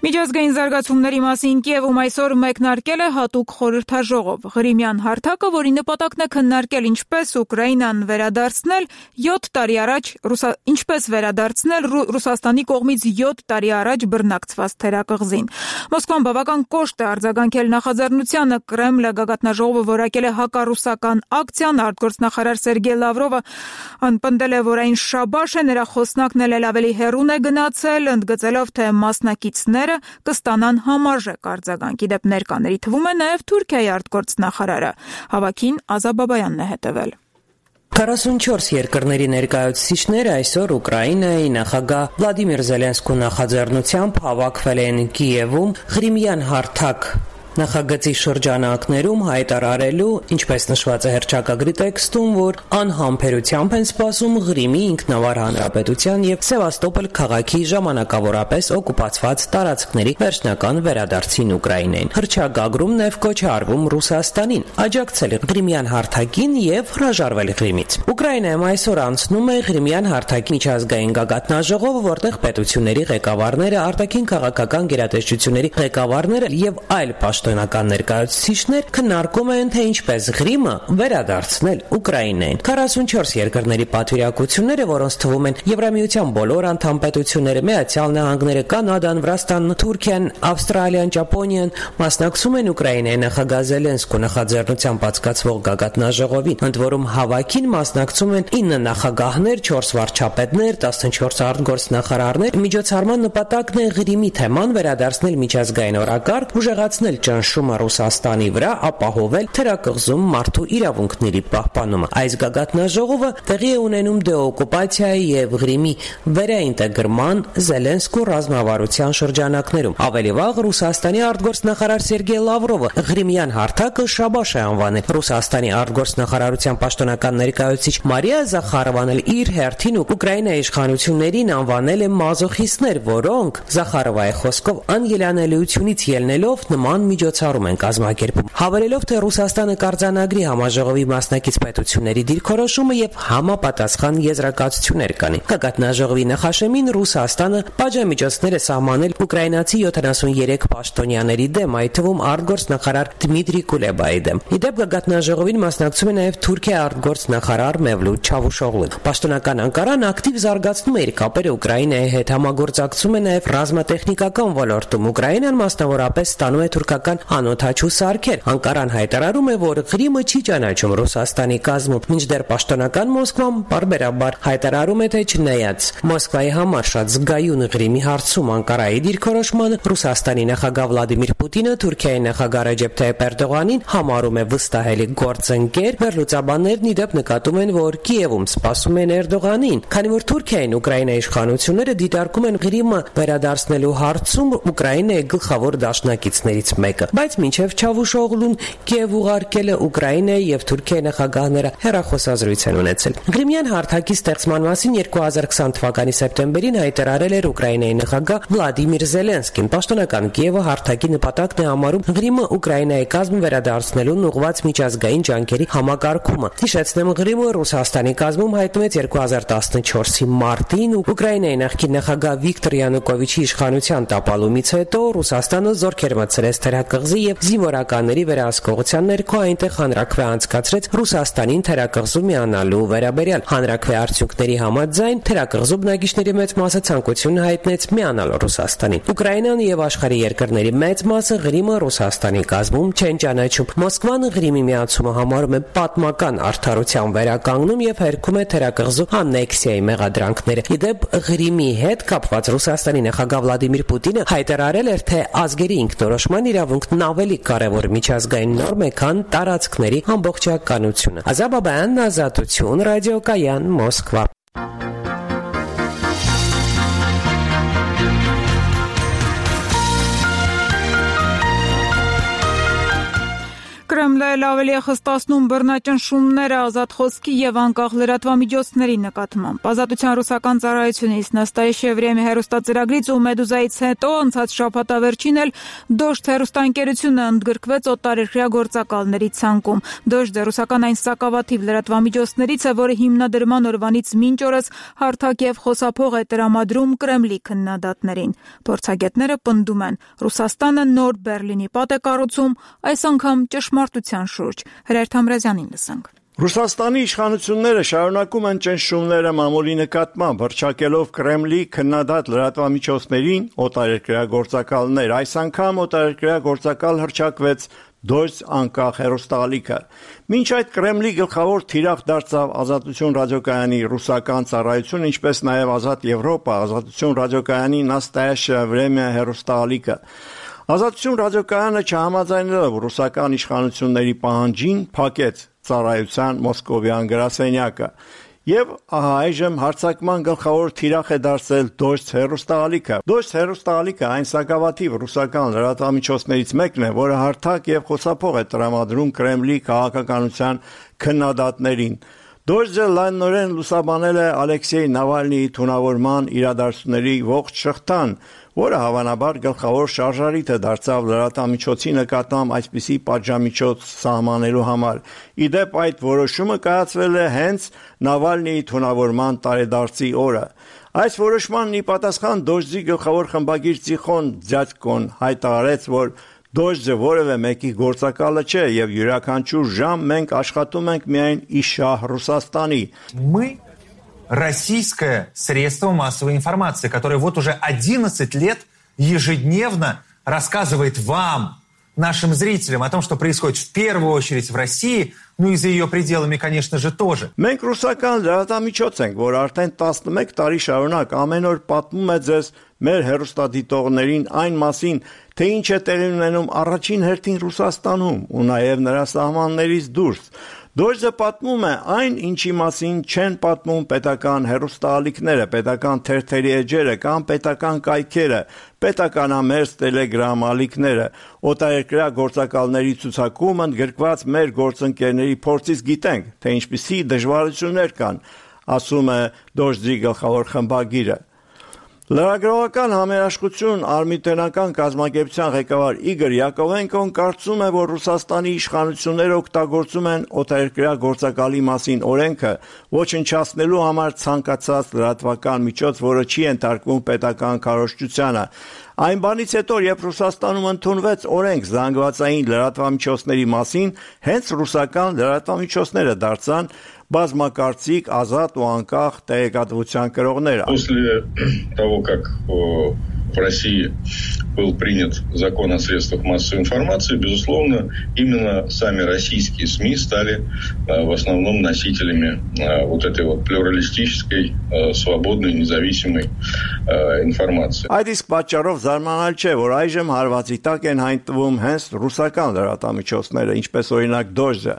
A: Միջազգային զարգացումների մասին Կիևում այսօր մեկնարկել է հատուկ խորհրդաժողով։ Ղրիմյան հարթակը, որի նպատակն է քննարկել ինչպես Ուկրաինան վերադարձնել յոթ տարի առաջ ինչպես վերադարձնել Ռուսաստանի կողմից յոթ տարի առաջ բռնակցված թերակղզին։ Մոսկվան բավական կոշտ է արձագանքել նախաձեռնությանը, Կրեմլը գագաթնաժողովը որակել է հակառուսական ակցիան, արտգործնախարար Սերգեյ Լավրովը պնդել է, որ այն շաբաշ է, նրա խոսնակն էլ ավելի հեռուն է գնացել, ընդգծելով, թե մասնակիցները կստանան համարժեք արձագանք։ Իդեպ ներկաների թվում է նաև Թուրքիայի արտգործնախարարը։ Հավաքին Ազաբաբայանն է հետևել։
T: քառասունչորս երկրների ներկայացուցիչները այսօր Ուկրաինայի նախագահ Վլադիմիր Զելենսկու նախաձեռնությամբ հավաքվել են Կիևում Ղրիմյան հարթակ նախագծի շրջանակներում հայտարարելու, ինչպես նշված է հռչակագրի տեքստում, որ անհամբերությամբ են սպասում Ղրիմի ինքնավար հանրապետության եւ Սևաստոպոլ քաղաքի ժամանակավորապես օկուպացված տարածքների վերջնական վերադարձին Ուկրաինային։ Հռչակագրում նաև կոչ է արվում Ռուսաստանին աջակցել Ղրիմյան հարթակին եւ հրաժարվել Ղրիմից։ Ուկրաինայում այսօր անցնում է Ղրիմյան հարթակի միջազգային գագաթնաժողովը, որտեղ պետությունների ղեկավարները, արտաքին քաղաքական գերատեսչությունների ղեկավարները եւ այլ պաշտոնական ներկայացուցիչներ քննարկում են, թե ինչպես Ղրիմը վերադարձնել Ուկրաինային։ քառասունչորս երկրների պատվիրակությունները, որոնց թվում են Եվրամիության բոլոր անդամ պետությունները, Միացյալ Նահանգները, Կանադան, Վրաստանն, Թուրքիան, Ավստրալիան, Ճապոնիան, մասնակցում են Ուկրաինայի նախագահ Զելենսկու նախաձեռնությամբ բացկացվող գագաթնաժողովին, ընդ որում հավաքին մասնակցում են ինը նախագահներ, չորս վարչապետներ, տասնչորս արտգործնախարարներ։ Միջոցառման նպատակն է Ղրիմի թեման վերադարձնել միջազգային օրակարգ, ուժեղացնել ճնշումը Ռուսաստանի վրա, ապահովել թերակղզում մարդու իրավունքների պահպանումը։ Այս գագաթնաժողովը տեղի է ունենում դեօկուպացիայի եւ Ղրիմի վերաինտեգրման Զելենսկու ռազմավարության շրջանակներում։ Ավելի վաղ Ռուսաստանի արտգործնախարար Սերգեյ Լավրովը Ղրիմյան հարթակը շաբաշ է անվանել։ Ռուսաստանի արտգործնախարարության պաշտոնական ներկայացուցիչ Մարիա Զախարովան էլ իր հերթին Ուկրաինայի իշխանություններին անվանել է մազոխիստներ, որոնք Զախարովայի խոսքով անելանելիությունից ելնելով նման միջոցառում են կազմակերպում, հավելելով, թե Ռուսաստանը կարձանագրի համաժողովի մասնակից պետությունների դիրքորոշումը եւ համապատասխան եզրակացություններ կանի։ Գագաթնաժողովի նախաշեմին Ռուսաստանը պատժամիջոցներ է սահմանել ուկրաինացի յոթանասուներեք պաշտոնյաների դեմ, այդ թվում արտգործնախարար Դմիտրի Կուլեբայի դեմ։ Իդեպ գագաթնաժողովին մասնակցում է նաեւ Թուրքիայի արտգործնախարար Մևլութ Չավուշօղլուն։ Պաշտոնական Անկարան ակտիվ զարգացնում է իր կապերը Ուկրաինայի հետ, համագործակցում է նաեւ ռազմատեխնիկական ոլորտում։ Ուկրաինան մասնավորապես ստանում է թուրքական բնական անօթաչու սարքեր։ Անկարան հայտարարում է, որ Ղրիմը չի ճանաչում Ռուսաստանի կազմում, մինչդեռ պաշտոնական Մոսկվան բարբերաբար հայտարարում է, թե չնայած Մոսկվայի համար շատ զգայուն Ղրիմի հարցում Անկարայի դիրքորոշմանը, Ռուսաստանի նախագահ Վլադիմիր Պուտինը Թուրքիայի նախագահ Ռեջեփ Թայիփ Էրդողանին համարում է վստահելի գործընկեր։ Վերլուծաբաններն ի դեպ նկատում են, որ Կիևում սպասում են Էրդողանին, քանի որ Թուրքիային Ուկրաինայի իշխանությունները դիտարկում են Ղրիմը վերադարձնելու հարցում Ուկրաինայի գլխավոր դաշնակիցներից մեկը, բայց մինչև Չավուշօղլուն Կիև ուղարկել է Ուկրաինայի եւ Թուրքիայի նախագահները հեռախոսազրույց են ունեցել։ Ղրիմյան հարթակի ստեղծման մասին երկու հազար քսան թվականի սեպտեմբերին հայտարարել էր Ուկրաինայի նախագահ Վլադիմիր Զելենսկին։ Պաշտոնական Կիևը հարթակի նպատակն է համարում Ղրիմը Ուկրաինայի կազմում վերադարձնելուն ուղղված միջազգային ջանքերի համակարգումը։ Հիշեցնեմ, Ղրիմը Ռուսաստանի կազմում հայտնվեց երկու հազար տասնչորսի մարտին Ուկրաինայի նախկին նախագահ Վիկտոր Յանուկովիչի իշխանության տապալումից հետո Ռուսաստանը զորքեր մտցրեց թերակղզի եւ զինվորականների վերահսկողության ներքո այնտեղ հանրաքվե անցկացրեց Ռուսաստանին թերակղզու միանալու վերաբերյալ։ Հանրաքվե արդյունքների համաձայն թերակղզու բնակիչների մեծ մասը ցանկություն հայտնեց միանալ Ռուսաստանին։ Ուկրաինան եւ աշխարհի երկրների մեծ մասը Ղրիմը Ռուսաստանի կազմում չեն ճանաչում։ Մոսկվան Ղրիմի միացումը համարում է պատմական արդարության վերականգնում եւ հերքում է թերակղզու անեքսիայի մեղադրանքները։ Իդեպ Ղրիմի հետ կապված Ռուսաստանի նախագահ Վլադիմիր Պուտինը հայտարարել էր, թե ազգերի ինքնորոշման իրավունքն ավելի կարևոր միջազգային նորմ է, քան տարածքների ամբողջականությունը։ Ազաբաբյան, Ազատություն, Ռադիոկայան, Մոսկվա։
A: Կրեմլը ավելի է խստացնում բռնաճնշումները ազատ խոսքի եւ անկախ լրատվամիջոցների նկատմամբ։ Ազատության ռուսական ծառայությունից Նաստայա Վրեմի հեռուստածրագրից ու Մեդուզայից հետո անցած շաբաթավերջին էլ Դոժդ հեռուստաընկերությունը ընդգրկվեց օտարերկրյա գործակալների ցանկում։ Դոժդը ռուսական այն սակավաթիվ լրատվամիջոցներից է, որը հիմնադրման օրվանից մինչ օրս հարթակ եւ խոսափող է տրամադրում Կրեմլի քննադատներին։ Փորձագետները պնդում են, Ռուսաստանը նոր Բերլինի պատ է կառուցում, այս անգամ ճշմարտության շուրջ։ Հրեր Թամրազյանին լսենք։
I: Ռուսաստանի իշխանությունները շարունակում են ճնշումները մամուլի նկատմամբ, հռչակելով Կրեմլի քննադատ լրատվամիջոցներին օտարերկրյա գործակալներ։ Այս անգամ օտարերկրյա գործակալ հռչակվեց Դոժդ անկախ հեռուստաալիքը։ Մինչ այդ Կրեմլի գլխավոր թիրախ դարձավ Ազատություն ռադիոկայանի ռուսական ծառայություն, ինչպես նաև Ազատ Եվրոպա, Ազատություն ռադիոկայանի Նաստայա Վրեմի հեռուստաալիքը։ Ազատություն ռադիոկայանը չհամաձայնելով ռուսական իշխանությունների պահանջին փակեց ծառայության մոսկովյան գրասենյակը եւ ահա այժմ հարձակման գլխավոր թիրախ է դարձել Դոժդ հեռուստաալիքը։ Դոժդ հեռուստաալիքը այն սակավաթիվ ռուսական լրատվամիջոցներից մեկն է, որը հարթակ եւ խոսափող է տրամադրում Կրեմլի քաղաքականության քննադատներին։ Դոժդը լայնորեն լուսաբանել է Ալեքսեյ Նավալնիի թունավորման իրադարձությունների ողջ շղթան, որը հավանաբար գլխավոր շարժարիթը դարձավ լրատվամիջոցի նկատմամբ այսպիսի պատժամիջոց սահմանելու համար։ Իդեպ այդ որոշումը կայացվել է հենց Նավալնիի թունավորման տարեդարձի օրը։ Այս որոշմանն ի պատասխան Դոժդի գլխավոր խմբագիր Տիխոն Ձյաձկոն հայտարարեց, որ Դոժդը որևէ մեկի գործակալը չէ եւ յուրաքանչյուր ժամ մենք աշխատում ենք միայն ի շահ Ռուսաստանի։
U: Мы российское средство массовой информации, которое вот уже одиннадцать лет ежедневно рассказывает вам, нашим зрителям, о том, что происходит в первую очередь в России, ну и за ее пределами, конечно же, тоже.
I: Մենք ռուսական լրատվամիջոց ենք, որ արդեն տասնմեկ տարի շարունակ ամեն օր պատմում է ձեզ մեր հեռուստադիտողներին այն մասին, թե ինչ է տեղի ունենում առաջին հերթին Ռուսաստանում ու նաև նրա սահմաններից դուրս։ Դոժդը պատմում է այն, ինչի մասին չեն պատմում պետական հեռուստաալիքները, պետական թերթերի էջերը կամ պետական կայքերը, պետականամերձ տելեգրամ ալիքները։ Օտարերկրյա գործակալների ցուցակում ընդգրկված մեր գործընկերների փորձից գիտենք, թե ինչպիսի դժվարություններ կան, ասում է Դոժդի գլխավոր խմբագիրը։ Լրագրողական համերաշխություն արմիտենական կազմակերպության ղեկավար Իգոր Յակովենկոն կարծում է, որ Ռուսաստանի իշխանությունները օգտագործում են օտարերկրյա գործակալի մասին օրենքը, ոչնչացնելու համար ցանկացած լրատվական միջոց, որը չի ենթարկվում պետական քարոզչությանը։ Այն բանից հետո, երբ Ռուսաստանում ընդունվեց օրենք զանգվածային լրատվամիջոցների մասին, հենց ռուսական լրատվամիջոցները դարձան բազմակարծիք, ազատ ու անկախ տեղեկատվության կրողները։
V: После того, как
G: в России был принят закон о средствах массовой информации, безусловно, именно сами российские СМИ стали в основном носителями вот этой вот плюралистической, свободной, независимой информации.
I: Այդ իսկ պատճառով զարմանալ չէ, որ այժմ հարվածի տակ են հայտնվում հենց ռուսական լրատվամիջոցները, ինչպես օրինակ Դոժը։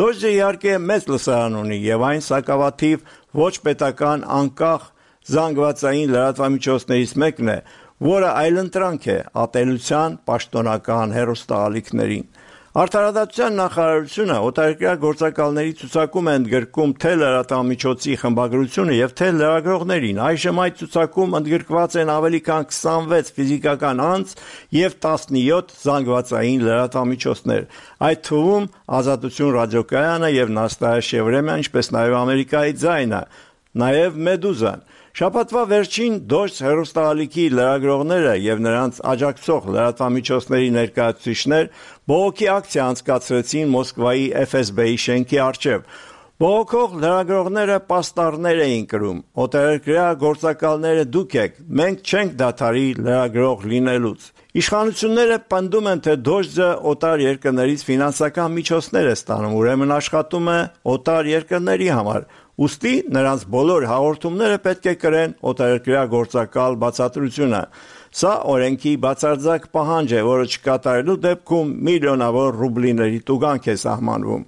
I: Դոժը իհարկե մեծ լսարան ունի եւ այն սակավաթիվ ոչ պետական անկախ զանգվածային լրատվամիջոցներից մեկն է, որը այլընտրանք է ատելության պաշտոնական հեռուստաալիքներին։ Արդարադատության նախարարությունը օտարերկրյա գործակալների ցուցակում է ընդգրկում թե լրատվամիջոցի խմբագրությունը եւ թե լրագրողներին։ Այժմ այդ ցուցակում ընդգրկված են ավելի քան քսանվեց ֆիզիկական անձ եւ տասնյոթ զանգվածային լրատվամիջոցներ։ Այդ թվում Ազատություն ռադիոկայանը եւ Նաստայա Վրեմյան, ինչպես նաեւ Ամերիկայի ձայնը, նաեւ Մեդուզան։ Շաբաթվա վերջին Դոժ հեռուստաալիքի լրագրողները եւ նրանց աջակցող լրատվամիջոցների ներկայացուցիչներ բողոքի ակցիա անցկացրեցին Մոսկվայի Էֆ Էս Բի-ի շենքի առջև։ Բողոքող լրագրողները պաստառներ էին կրում. «Օտարերկրյա գործակալները դուք եք, մենք չենք դադարի լրագրող լինելուց»։ Իշխանությունները պնդում են, թե Դոժը օտար երկրներից ֆինանսական միջոցներ է ստանում, ուրեմն աշխատում է օտար երկրների համար։ Ուստի նրանց բոլոր հաղորդումները պետք է կրեն օտարերկրյա գործակալ բացատրությունը։ Սա օրենքի բացարձակ պահանջ է, որը չկատարելու դեպքում միլիոնավոր ռուբլիների տուգանք է սահմանվում։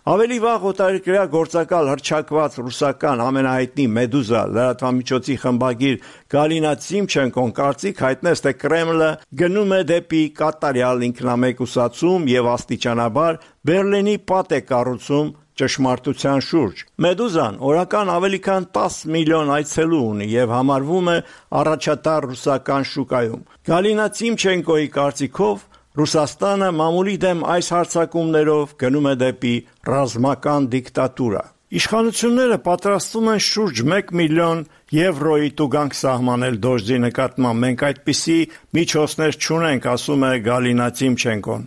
I: Ավելի վաղ օտարերկրյա գործակալ հռչակված ռուսական ամենահայտնի Մեդուզա լրատվամիջոցի խմբագիր Գալինա Տիմչենկոն կարծիք հայտնեց, թե Կրեմլը գնում է դեպի կատարյալ ինքնամեկուսացում եւ աստիճանաբար Բերլինի պատ է կառուցում ճշմարտության շուրջ։ Մեդուզան օրական ավելի քան տասը միլիոն այցելու ունի եւ համարվում է առաջատար ռուսական շուկայում։ Գալինա Տիմչենկոյի կարծիքով Ռուսաստանը մամուլի դեմ այս հարձակումներով գնում է դեպի ռազմական դիկտատուրա։ Իշխանությունները պատրաստվում են շուրջ մեկ միլիոն եվրոյի տուգանք սահմանել Դոժի նկատմամբ։ Մենք այդպիսի միջոցներ չունենք, ասում է Գալինա Տիմչենկոն։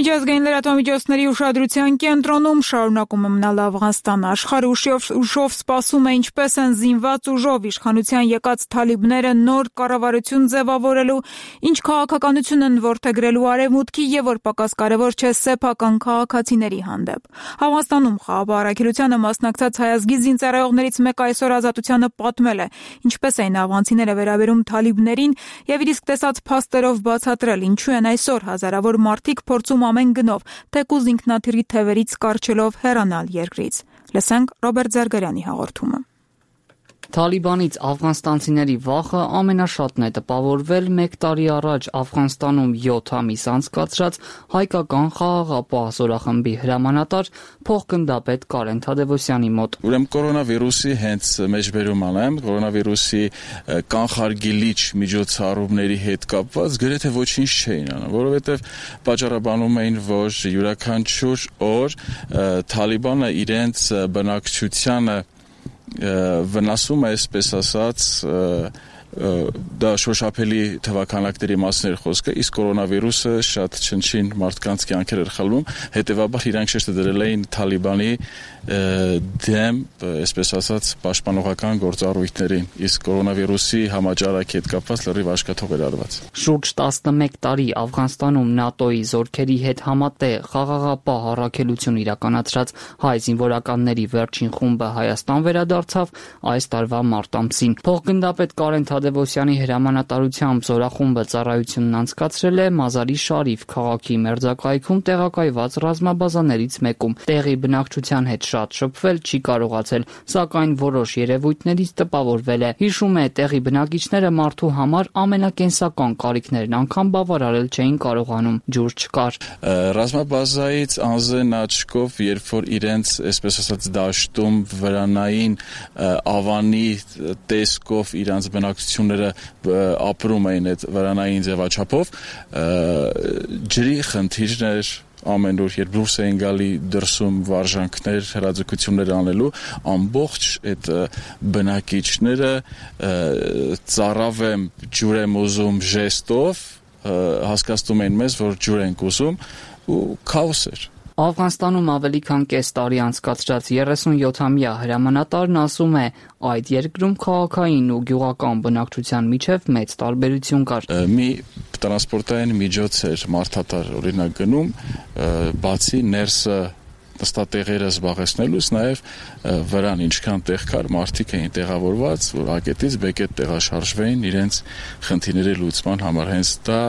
A: Միջազգային լրատվամիջոցների ուշադրության կենտրոնում շարունակում է մնալ Աֆղանստանը։ Աշխարհը ուշով սպասում է, ինչպես են զինված ուժով իշխանության եկած թալիբները նոր կառավարություն ձևավորելու, ինչ քաղաքականություն են որդեգրելու արևմուտքի եւ որ պակաս կարեւոր չէ սեփական քաղաքացիների հանդեպ։ Աֆղանստանում խաղաղ առաքելությանը մասնակցած հայազգի զինծառայողներից մեկը այսօր Ազատությանը պատմել է, ինչպես էին աֆղանցիները վերաբերում թալիբներին եւ իր իսկ տեսած փաստերով բացատրել, ինչու են այսօր հազարավոր մարդիկ փորձում ամեն գնով, թեկուզ ինքնաթիռի թևերից կարճելով հեռանալ երկրից։ Լսենք Ռոբերտ Զարգարյանի հաղորդումը։
V: Թալիբանից աֆղանստանցիների վախը ամենաշատն է տպավորվել մեկ տարի առաջ Աֆղանստանում յոթ ամիս անցկացրած հայկական խաղաղապահ զորախմբի հրամանատար փոխգնդապետ Կարեն Թադևոսյանի մոտ։
W: Ուրեմն կորոնավիրուսի հենց մեջբերում անեմ, կորոնավիրուսի կանխարգելիչ միջոցառումների հետ կապված գրեթե ոչինչ չէին անում, որովհետև պատճառաբանում էին, որ յուրաքանչյուր օր Թալիբանը իրենց բնակչությանը վնասում է, այսպես ասած, դա շոշափելի թվականակների մասն էր խոսքը, իսկ կորոնավիրուսը շատ չնչին մարդկանց կյանքեր էր խլում, հետևաբար իրանք շեշտը դրել էին Թալիբանի դեմ, այսպես ասած, պաշտպանողական գործառույթներին, իսկ կորոնավիրուսի համաճարակի հետ կապված լրիվ աշկաթող էր արված։
V: Շուրջ տասնմեկ տարի Աֆղանստանում ՆԱՏՕ-ի զորքերի հետ համատեղ խաղաղապահ առաքելություն իրականացրած հայ զինվորականների վերջին խումբը Հայաստան վերադարձավ այս տարվա մարտ ամսին։ Փոխգնդապետ Կարեն Թադևոսյանի հրամանատարությամբ զորախումբը ծառայությունն անցկացրել է Մազարի Շարիֆ քաղաքի մերձակայքում տեղակայված ռազմաբազաներից մեկում։ Տեղի բնակչության հետ շատ շփվել չի կարողացել, սակայն որոշ երևույթներից տպավորվել է։ Հիշում է, տեղի բնակիչները մարդու համար ամենակենսական կարիքներն անգամ բավարարել չէին կարողանում, ջուր չկար։
W: Ռազմաբազայից անզեն աչքով, երբ որ իրենց, այսպես ասած, դաշտում վրանային ավանի տեսքով իրանց բնակչությունները ապրում էին այդ վրանային ձևաչափով, ջրի խնդիրներ, ամեն օր երբ դուրս էին գալի դրսում վարժանքներ, հրաձգություններ անելու, ամբողջ այդ բնակիչները ծառավեմ ջուր եմ ուզում ժեստով հասկացնում էին մեզ, որ ջուր ենք ուզում ու քաոս էր։
V: Աֆղանստանում ավելի քան կես տարի անցկացրած երեսունյոթամյա հրամանատարն ասում է, այդ երկրում քաղաքային ու գյուղական բնակչության միջև մեծ տարբերություն կար։
W: Մի տրանսպորտային միջոց էր մարդատար օրինակ գնում, բացի ներսը նստատեղերը զբաղեցնելուց նաև վրան ինչքան տեղ կար, մարդիկ էին տեղավորված, որ ակետից բեկետ տեղաշարժվեին իրենց խնդիրների լուծման համար։ Հենց դա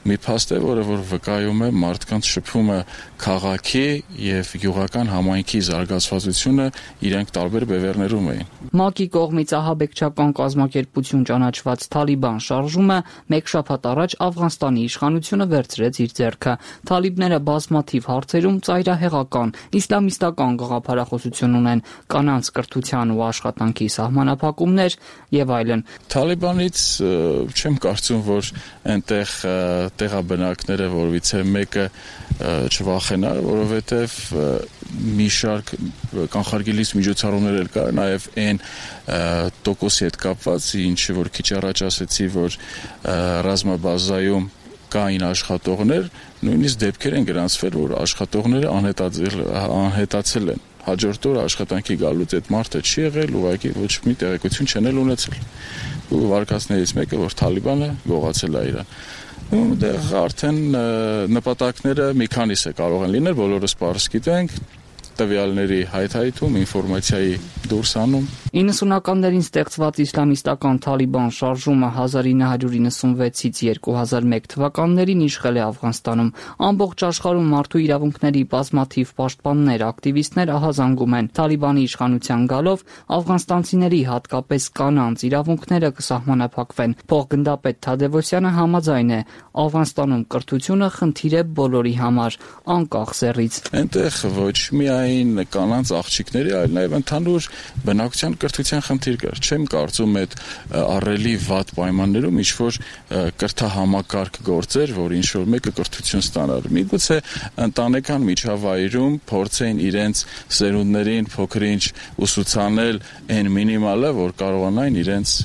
W: մի փաստ է, որը որ վկայում է մարդկանց շփումը քաղաքի եւ գյուղական համայնքի զարգացվածությունը իրենք տարբեր բևեռներում էին։
V: ՄԱԿ-ի կողմից ահաբեկչական կազմակերպություն ճանաչված Թալիբան շարժումը մեկ շաբաթ առաջ Աֆղանստանի իշխանությունը վերցրեց իր ձեռքը։ Թալիբները բազմաթիվ հարցերում ծայրահեղական իսլամիստական գաղափարախոսություն ունեն, կանանց կրթության ու աշխատանքի սահմանափակումներ եւ այլն։
W: Թալիբանից չեմ կարծում, որ այնտեղ տեղաբնակները որևիցե մեկը չվախենա, որովհետեւ մի շարք կանխարգելիչ միջոցառումներ էլ կար, նաև այն տոկոսի հետ կապված, ինչը որ քիչ առաջ ասեցի, որ ռազմաբազայում կային աշխատողներ, նույնիսկ դեպքեր են գրանցվել, որ աշխատողները անհետացել են։ Հաջորդ օր աշխատանքի գալուց այդ մարդը չի եղել, ուղղակի ոչ մի տեղեկություն չեն էլ ունեցել։ Ու վարկածներից մեկը, որ Թալիբանը գողացել է իրան։ Ու դեռ արդեն նպատակները մի քանիսը կարող են լինել, բոլորս պարզ գիտենք, տվյալների հայթայթում, ինֆորմացիայի դուրս անում։
V: իննսունականներին ստեղծված իսլամիստական Թալիբան շարժումը հազար ինը հարյուր իննսունվեցից երկու հազար մեկ թվականներին իշխել է Աֆղանստանում։ Ամբողջ աշխարհում մարդու իրավունքների բազմաթիվ պաշտպաններ, ակտիվիստներ ահազանգում են։ Թալիբանի իշխանության գալով աֆղանստանցիների, հատկապես կանանց իրավունքները կսահմանափակվեն։ Փոխգնդապետ Թադևոսյանը համաձայն է, Աֆղանստանում կրթությունը խնդիր է բոլորի համար, անկախ սեռից։
W: Այնտեղ ոչ միայն կանանց աղջիկների, այլ նաև ընդհանուր բնակության կրթության խնդիր կար։ Չեմ կարծում այդ առելի վատ պայմաններում ինչ որ կրթահամակարգ գործեր, որ ինչ որ մեկը կրթություն ստանար։ Միգուցե ընտանեկան միջավայրում փորձեին իրենց սերունդներին փոքր-ինչ ուսուցանել այն մինիմալը, որ կարողանային իրենց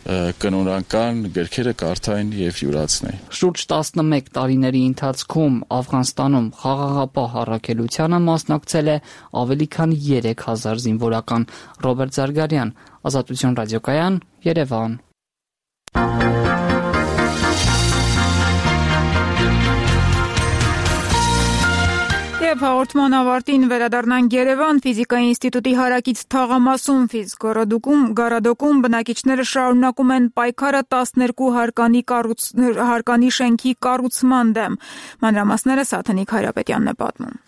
W: կնորական գրքերը կարդային եւ յուրացնեին։
V: Շուրջ տասնմեկ տարիների ընթացքում Աֆղանստանում խաղաղապահ առաքելությանը մասնակցել է ավելի քան երեք հազար զինվորական։ Ռոբերտ Զարգարյան, Ազատություն ռադիոկայան, Երևան։
A: Եվ հաղորդման ավարտին վերադառնանք Երևան ֆիզիկայի ինստիտուտի հարակից թաղամասում ֆիզգորոդոկում գարադոկում բնակիչները շարունակում են պայքարը տասներկու հարկանի կառուց, հարկանի շենքի կառուցման դեմ։ Մանրամասները Սաթենիկ Հայրապետյանն է պատմում։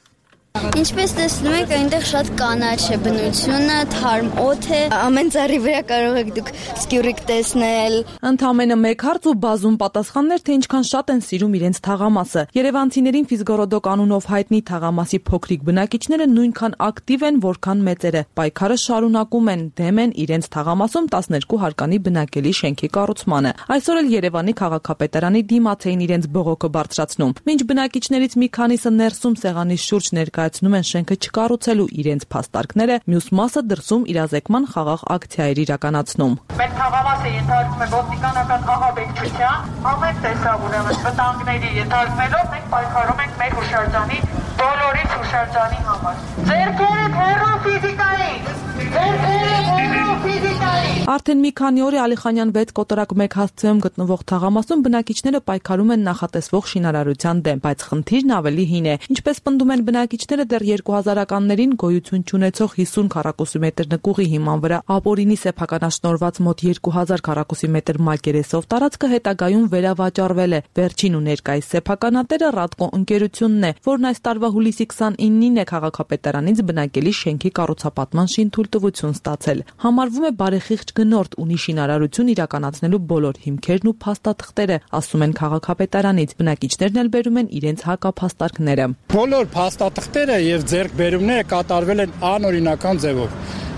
B: Ինչպես տեսնում եք, այնտեղ շատ կանաչ է բնությունը, թարմ օդ է, ամեն ծառի վրա կարող եք դուք սկյուռիկ տեսնել։
F: Ընդամենը մեկ հարց ու բազում պատասխաններ, թե ինչքան շատ են սիրում իրենց թաղամասը։ Երևանցիներին ֆիզգորոդոկ անունով հայտնի թաղամասի փոքրիկ բնակիչները նույնքան ակտիվ են, որքան մեծերը։ Պայքարը շարունակում են, դեմ են իրենց թաղամասում տասներկու հարկանի բնակելի շենքի կառուցմանը։ Այսօր էլ Երևանի քաղաքապետարանի դիմաց էին իրենց բողոքը բարձրացնում։ Մինչ բնակիչներից մի քանիսը ներսում սեղանի շուրջ ներկայացնում են շենքը չկառուցելու իրենց փաստարկները, մյուս մասը դրսում իրազեկման խաղաղ ակցիա էր իրականացնում։
H: Մեր թաղամասը ենթարկվում է ոստիկանական ահաբեկչության, ամեն տեսակ ուրեմն վտանգների ենթարկվելով մենք պայքարում ենք մեր հուշարձանի բոլորից հուշարձանի համար։ Ձերքերդ հեռու ֆիզիկային, ձերքերդ հեռու ֆիզիկային։
F: Արդեն մի քանի օր է Ալիխանյան վեց կոտորակ մեկ հասցեում գտնվող թաղամասում բնակիչները պայքարում են նախատեսվող շինարարության դեմ, բայց խնդիրն ավելի հին է։ Ինչպես պնդում են բնակիչները, դեռ երկու հազարականներին գոյություն չունեցող հիսուն քառակուսի մետր նկուղի հիման վրա ապօրինի սեփականաշնորհված մոտ երկու հազար քառակուսի մետր մակերեսով տարածքը հետագայում վերավաճառվել է։ Վերջին ու ներկայիս սեփականատերը Ռադկո ընկերությունն է, որն այս տարվա հուլիսի քսանինին է քաղաքապետարանից բնակելի շենքի կառուցապատման շինթույլտվություն ստացել։ Համարվում է բարեխիղճ գնորդ, ունի շինարարություն իրականացնելու բոլոր հիմքերն ու փաստաթղթերը, ասում են քաղաքապետարանից։ Բնակիչներն էլ բերում են իրենց հակափաստարկները։
X: Բոլոր փաստաթղթերը եւ ձեռքբերումները կատարվել են անօրինական ձևով։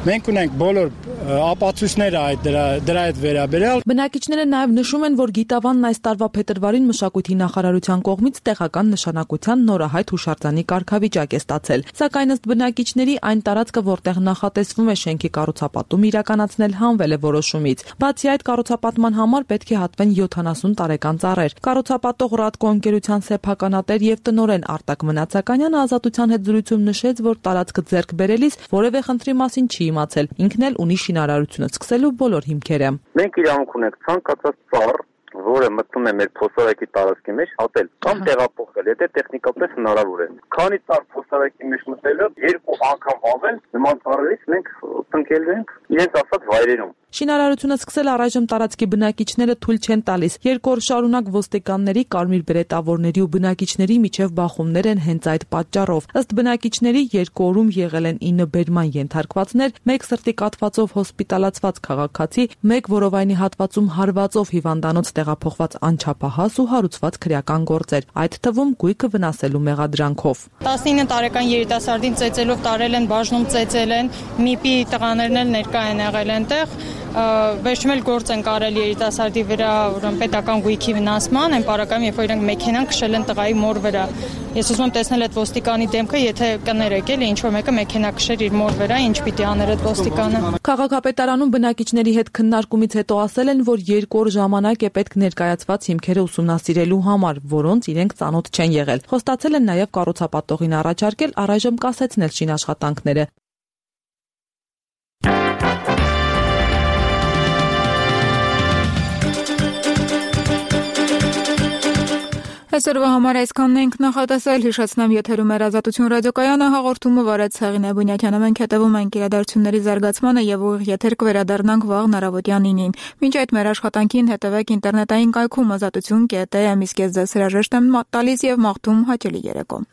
J: Մենք ունենք բոլոր ապացույցները այդ դրա դրա հետ վերաբերյալ։
F: Բնակիչները նաև նշում են, որ Գիտավանն այս տարվա փետրվարին մշակույթի նախարարության կողմից տեղական նշանակության նորահայտ հուշարձանի կարգավիճակ է ստացել։ Սակայն ըստ բնակիչների այն տարածքը, որտեղ նախատեսվում է շենքի կառուցապատում իրականացնել, հանվել է որոշումից։ Բացի այդ, կառուցապատման համար պետք է հատվեն յոթանասուն տարեկան ծառեր։ Կառուցապատող Ռադկո ընկերության սեփականատեր եւ տնօրեն Արտակ Մնացականյանը Ազատության հետ զրույցում նշեց, որ տարածքը ձեռք բերելիս որևէ խնդրի մասին չի իմացել։ Ինքն էլ ունի շինարարությունը սկսելու բոլոր հիմքերը։
K: Մենք իրավունք ունենք ցանկացած ծառ, որը մտնում է մեր փոստարակի տարածքի մեջ, հատել կամ տեղափոխել, եթե տեխնիկապես հնարավոր է։ Քանի ծառ փոստարակի մեջ մտելը երկու անգամ ավել, նման ծառերից մենք տնկել ենք իրենց ասած վայրերում։
F: Շինարարությունը սկսել առայժմ տարածքի բնակիչները թույլ չեն տալիս։ Երկու օր շարունակ ոստիկանների, կարմիր բերետավորների ու բնակիչների միջև բախումներ են հենց այդ պատճառով։ Ըստ բնակիչների երկու օրում եղել են ինը բերման ենթարկվածներ, մեկ սրտի կաթվածով հոսպիտալացված քաղաքացի, մեկ որովայնի հատվածում հարվածով հիվանդանոց տեղափոխված անչափահաս ու հարուցված քրեական գործեր, այդ թվում գույքը վնասելու մեղադրանքով։
N: տասնինը տարեկան երիտասարդին ծեծելով տարել են, բաժնում ծեծել են, միպի տղաներն էլ ներկա են եղել այնտեղ։ Վերջում էլ գործ են կարել երիտասարդի վրա պետական գույքի վնասման, այն պարակայում, երբ որ իրենք մեքենան քշել են տղայի մոր վրա։ Ես ուզում եմ տեսնել այդ ոստիկանի դեմքը, եթե կներեք էլի ինչ որ մեկը մեքենա քշեր իր մոր վրա, ինչ պիտի աներ այդ ոստիկանը։
F: Քաղաքապետարանում բնակիչների հետ քննարկումից հետո ասել են, որ երկու օր ժամանակ է պետք ներկայացված հիմքերը ուսումնասիրելու համար, որոնց իրենք ծանոթ չեն եղել։ Խոստացել են նաև կառուցապատողին առաջարկել առայժմ կասեցնել շինաշխատանքները։
A: Այսօրվա համար այսքանն ենք նախատեսել, հիշեցնեմ եթերում էր Ազատություն ռադիոկայանը, հաղորդումը վարեց Հեղինե Բունյակյանը, մենք հետևում ենք իրադարձությունների զարգացմանը եւ ուղիղ եթեր կվերադառնանք վաղ առավոտյան նինին։ Մինչ այդ մեր աշխատանքին հետևեք ինտերնետային կայքում ազատություն կետ էի, իսկ ես ձեզ հրաժեշտ եմ տալիս եւ մաղթում հաճելի երեկո։